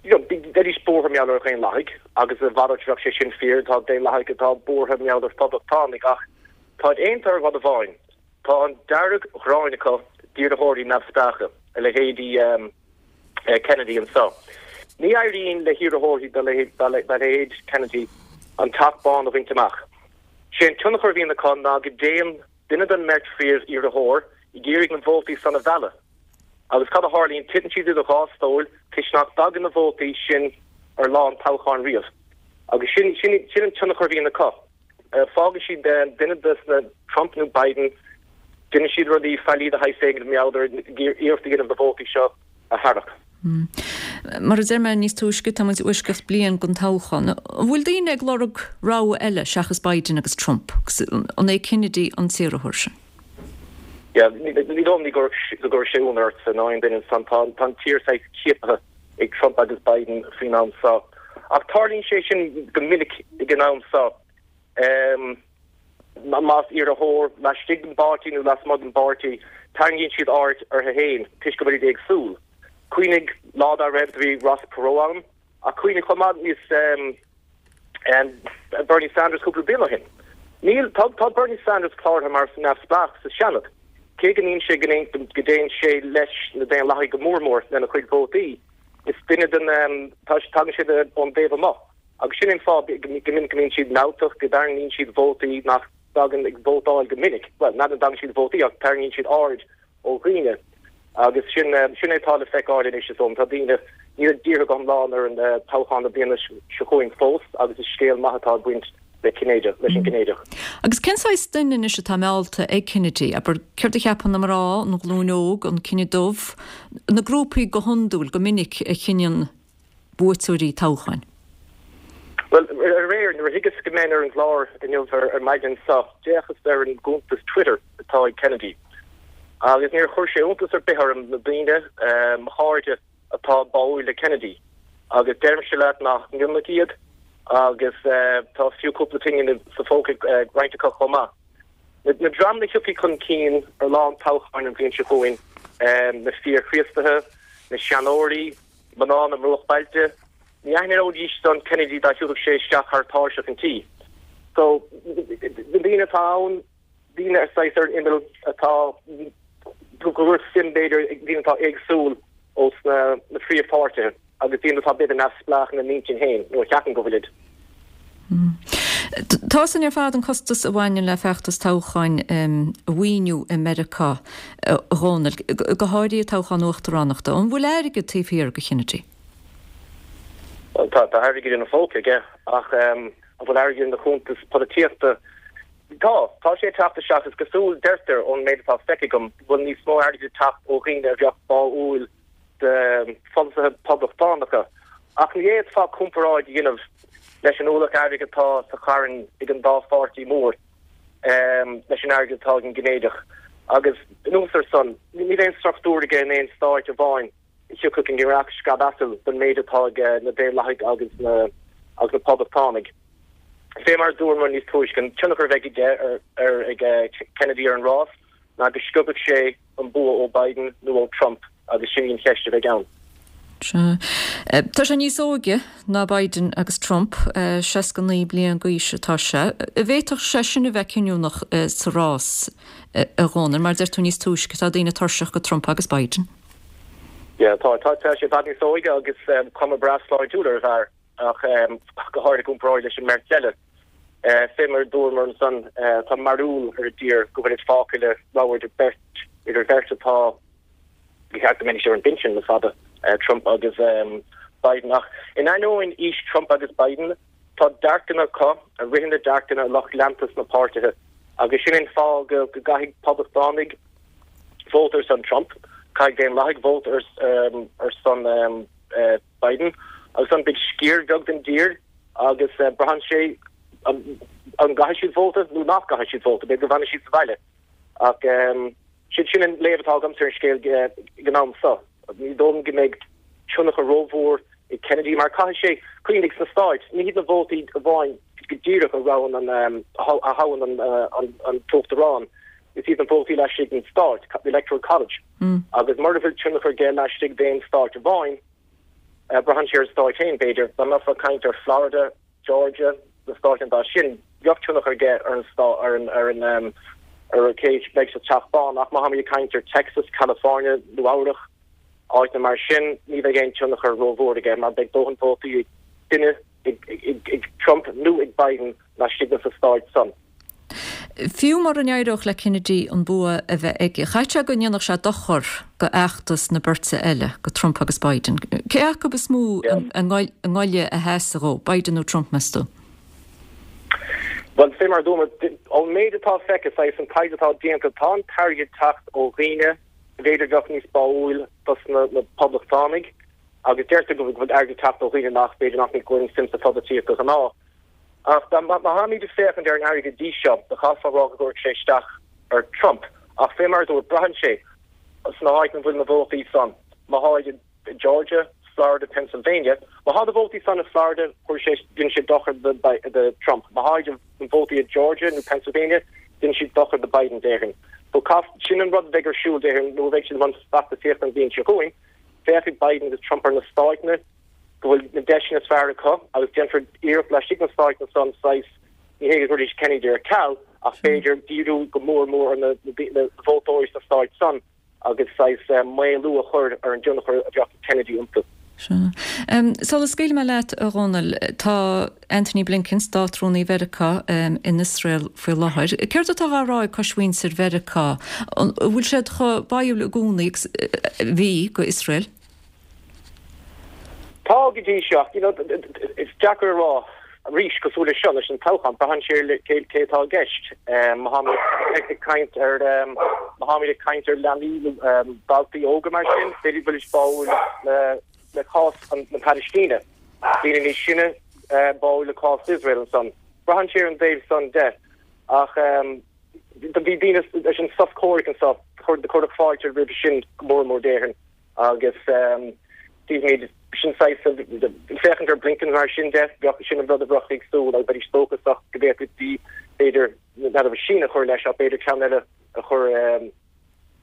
you know, bheidís buartha mar gheall ar Dhaonlathaigh agus a mhalairt bheadh sé sin fíor, tá Daonlathaigh atá buartha mar gheall ar Phoblachtánaigh ach táid aontaithe ar rud amháin, tá an dearg-ghráin acu d'iarrthóirí neamhspleácha, a leithéidí Kennedy anseo. Ní éiríonn le hiarrthóirí dá leithéid Kennedy an Teach Bán a bhaint amach. Sé an tionchar a bhíonn acu ná go dtéann duine den mbeirt phríomh-iarrthóir ag iarraidh na vótaí san a mhealladh. Agus cad a tharlaíonn? Titeann siad idir dhá stól toisc nach dtagann na vótaí sin ar lá an toghcháin riamh. Agus sin, sin, sin an tionchar a bhíonn acu. Fágann siad duine de na, Trump nó Biden, déanann siad rudaí faillí de shaghas éigin mar gheall ar iarracht a dhéanamh na vótaí seo a tharrac. Mar a deir mé níos túisce, tá muid i bhfoisceacht bliain den toghchán. An bhfuil daoine ag lorg rogha eile seachas Biden agus Trump? Agus an é Kennedy an t-iarrthóir sin? Yeah, ní dóigh liom go gcuirfeadh sé ionadh ortsa ná aon duine ansan. Tá an tír saghas ciaptha ag Trump agus Biden faoin am seo. Ach tarlaíonn sé sin go minic ag an am seo. Más iarrthóir laistigh den bpáirtí nó lasmuigh den bpáirtí, tarraingíonn siad aird orthu féin toisc go bhfuil siad éagsúil. Cuimhnigh lá dá raibh, do bhí Ross Perot ann, ach cuimhnigh chomh maith níos Bernie Sanders cúpla bliain ó shin. Níl, tá, tá Bernie Sanders cláraithe mar neamhspleách sa Seanad, cé go ndéanann sé, go dtéann sé leis na Daonlathaigh go mór mór lena chuid vótaí. Is duine den, tá, tagann sé ón dtaobh amuigh. Agus sin é an fáth go minic go mbíonn siad mealltach, go dtarraingíonn siad vótaí nach dtagann ag vótáil go minic. Bhuel, n'fheadar an dtagann siad vótaí ach tarraingíonn siad aird ó dhaoine. Agus sin, sin é atá le feiceáil anois is dóigh liom. Tá daoine, níl dírithe go hiomlán ar an toghchán na bliana seo chugainn fós agus is scéal maith atá ag baint le Cinnéideach, leis an gCinnéideach. Agus cén saghas duine anois atá meallta ag Kennedy? Abair, céard a cheapann na mná, an ghlúin óg, an cine dubh, na grúpaí go hiondúil, go minic a chinneann buaiteoirí toghcháin? Bhuel, aréir, nuair a thuigeas go mbeinn ar an gclár inniu ar maidin seo, d'fhéachas ar an gcuntas Twitter atá ag Kennedy agus níor chuir sé iontas ar bith orm na daoine, mo chairde, atá báúil le Kennedy agus deirimse leat nach mionlach iad agus tá fiú cúpla pingin sa phóca ag roinnt acu chomh maith. Na dreamanna a thiocfaidh chun cinn ar lá an toghcháin an bhliain seo chugainn, na fíor-Chríostaithe, na seanóirí, mná na mbruachbhailte, ní aithneoidís san Kennedy dá thiúrfadh sé isteach thar tairseach an tí. So, na daoine atá ann, daoine ar saghas ar an imeall atá go bhfuil suim b'fhéidir ag daoine atá éagsúil ó sna na phríomhpháirtithe agus daoine atá b'fhéidir neamhspleách ina n-intinn féin nó a cheapann go bhfuilid. Tá sin ar fad an costas a bhaineann le feachtas toghcháin a mhaoiniú i Meiriceá, a Dhónaill, go háirithe toghchán uachtaránachta. An bhfuil airgead taobh thiar de Kennedy? Bhuel, tá airgead ina phóca aige ach an bhfuil airgead ina chuntas polaitíochta? Tá. Tá sé ag teacht isteach. Is cosúil, deirtear, ón méid atá feicthe agam, go bhfuil níos mó airgid ag teacht ó dhaoine a bheadh báúil de pholasaithe poblachtánacha. Ach ní fhéadfá comparáid a dhéanamh leis an ualach airgid atá sa charn ag an dá pháirtí mór leis an airgead atá ag an gCinnéideach. Agus anuas ar san, níl aon struchtúr aige in aon stáit amháin a thiocfadh i ngiorracht scamh asail don méid atá ag na Daonlathaigh agus na agus na Poblachtánaigh. Fé mar a dúramar níos túisce, an tionchar a bheidh aige ar ag Kennedy ar an rás ná go sciobfaidh sé an bua ó Biden nó ó Trump agus sin í an cheist a bheidh ann. Sea. Tá sé níos óige ná Biden agus Trump, seasca naoi bliain d'aois atá sé. An bhféadfadh sé sin a bheith cinniúnach sa rás, a Dhónaill, mar deir tú níos túisce, tá daoine tuirseach go Trump agus Biden. Yeah, tá, tá, tá sé i bhfad níos óige agus cuma breá sláintiúil ar an bhfear ach go háirithe i gcomparáid leis an mbeirt eile. Fé mar a dúramar ansan, tá mearbhall ar an dtír go bhfuil fágtha le rogha idir beirt, idir bheirt atá, Ba cheart go mbeidís ar an bpinsean le fada, Trump agus Biden. Ach in ainneoin aois Trump agus Biden, tá dearcanna acu a ritheann le dearcanna lucht leanta sna páirtithe. Agus sin an fáth go gcaithfidh poblachtánaigh vóta ar son Trump, caithfidh Daonlathaigh vóta ar son Biden. Agus ansan beidh sciar bheag den dtír agus braitheann sé an gcaithfidh siad vóta nó nach gcaithfidh siad vóta, b'fhéidir go bhfanfaidh siad sa bhaile. Ach sin sin an léamh atá agamsa ar an scéal ag an am seo. Ní dóigh liom go mbeidh tionchar rómhór ag Kennedy mar caithfidh sé, cuimhnigh, sna Stáit, ní hiad na vótaí amháin go díreach a roghann an, a thoghann an t-uachtarán, is iad na vótaí laistigh den stát, the Electoral College. Agus mura bhfuil tionchar aige laistigh d'aon stát amháin, braitheann sé ar an stát féin, b'fhéidir. Dá mbeifeá ag caint ar Florida, Georgia, na stáit an dá sin, bheadh tionchar aige ar an stát, ar an, ar an, ar cé a bheidh sa Teach Bán, ach má tháimid ag caint ar Texas, California, Nua Eabhrach, áiteanna mar sin, ní bheidh aon tionchar rómhór aige mar beidh dóthain vótaí ag duine, ag, ag, ag Trump nó ag Biden laistigh de na stáit san. Fiú mura n-éireodh le Kennedy an bua a bheith aige, chaithfeadh sé go ndéanfadh sé dochar go fheachtas na beirte eile, go Trump agus Biden. Cé acu is mó a ngoile a sheasfadh dhó, Biden nó Trump, meas tú? Bhuel, fé mar a dúramar, ón méid atá feicthe, saghas an taighde atá déanta, tá an t-airgead ag teacht ó dhaoine b'fhéidir a bheadh níos báúil dos na Poblachtánaigh agus deirtear go bhfuil airgead ag teacht ó dhaoine nach, b'fhéidir nach gcuireann suim sa pholaitíocht de ghnáth. Ach má tháimid ag féachaint ar an airgead go dtí seo, do chaithfeá a rá go gcuirfeadh sé isteach ar Trump. Ach fé mar a dúirt, braitheann sé sna háiteanna a bhfuil na vótaí san. Má tháid i Georgia, Florida, Pennsylvania, má thá na vótaí san i Florida, chuir sé, dhein sé dochar do Trump. Má tháid na vótaí i Georgia nó Pennsylvania, dhein siad dochar do Biden, déarfainn. So caith, sin an rud a bheidh ar siúl, déarfainn, nuair a bheidh siad i mbun feachtasaíochta an bhliain seo chugainn, féachfaidh Biden agus Trump ar na stáiteanna, go bhfuil na deiseanna is fearr acu agus déanfar iarracht laistigh de na stáiteanna san saghas, ní hé go gcuirfidís Kennedy ar ceal ach b'fhéidir díriú go mór mór ar na vótóirí sna stáit san agus saghas maolú a chur ar an dtionchar a bheadh ag Kennedy iontu. Sea. Sula scaoilfidh mé leat, a Dhónaill, tá Antony Blinken, Státrúnaí Mheiriceá, in Iosrael faoi láthair. Céard atá á rá ag coismhuintir Mheiriceá? An bhfuil siad chomh báúil i gcónaí agus a bhí go Iosrael? Tá go dtí seo, ach you know, is deacair a rá arís, cosúil leis seo, leis an toghchán, braitheann sé ar cé cé atá i gceist. Má tháimid ag caint ar má tháimid ag caint ar leanaí nó daltaí óga mar sin, b'fhéidir go bhfuilid báúil le le cás na Palaistíne. Daoine níos sine báúil le cás Iosrael ansan. Braitheann sé ar an dtaobh san de. Ach bhí daoine leis an sos comhraic anso, cuireadh fáilte roimhe sin go mór mór déarfainn. Agus tífimid, sin saghas, féachaint ar Blinken mar sin de, bheadh, sin an rud a bheadh ag súil agus bheidís dóchasach go bhféadfaí, b'fhéidir, n'fheadar síneadh a chur leis ach b'fhéidir ceann eile a chur,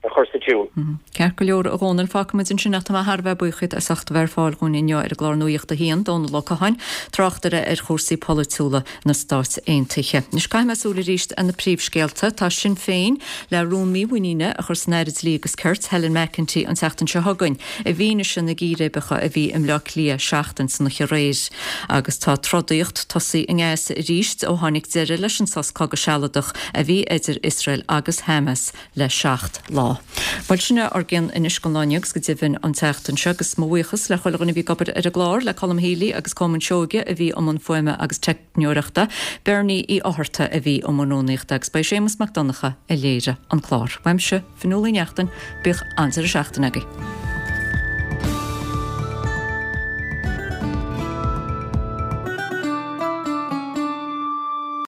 a chur sa tsiúl. Ceart go leor, a Dhónaill, fágfaimid ansin ach tá mé thar a bheith buíoch díot as ucht a bheith ar fáil dhúinn inniu ar an gclár Nuacht a hAon, Dónall Ó Catháin, tráchtaire ar chúrsaí polaitiúla na Stát Aontaithe. Anois caithfidh mé súil arís ar na príomhscéalta. Tá Sinn Féin le rún mímhuiníne a chur san Aire Dlí agus Cirt, Helen McEntee, an tseachtain seo chugainn, i bhfianaise na gcíréibeacha a bhí i mBleá Cliath seachtain san oíche aréir. Agus tá trodaíocht tosaithe i nGaza arís ó tháinig deireadh leis an sos cogaidh sealadach a bhí idir Iosrael agus Hamas le seacht lá. Bhuel, sin é ár gcion anois don lá inniu agus go deimhin an tseachtain seo agus mo bhuíochas le chuile dhuine a bhí ag obair ar an gclár, le Colm Healy agus Colman Seoige a bhí i mbun fuaime agus teicneoireachta, Bernie Uí Fhátharta a bhí i mbun rúnaíochta agus ba é Séamus Mac Donncha a léirigh an clár. Uaimse, Fionnuala Uí Neachtain, bíodh an-deireadh seachtaine agaibh.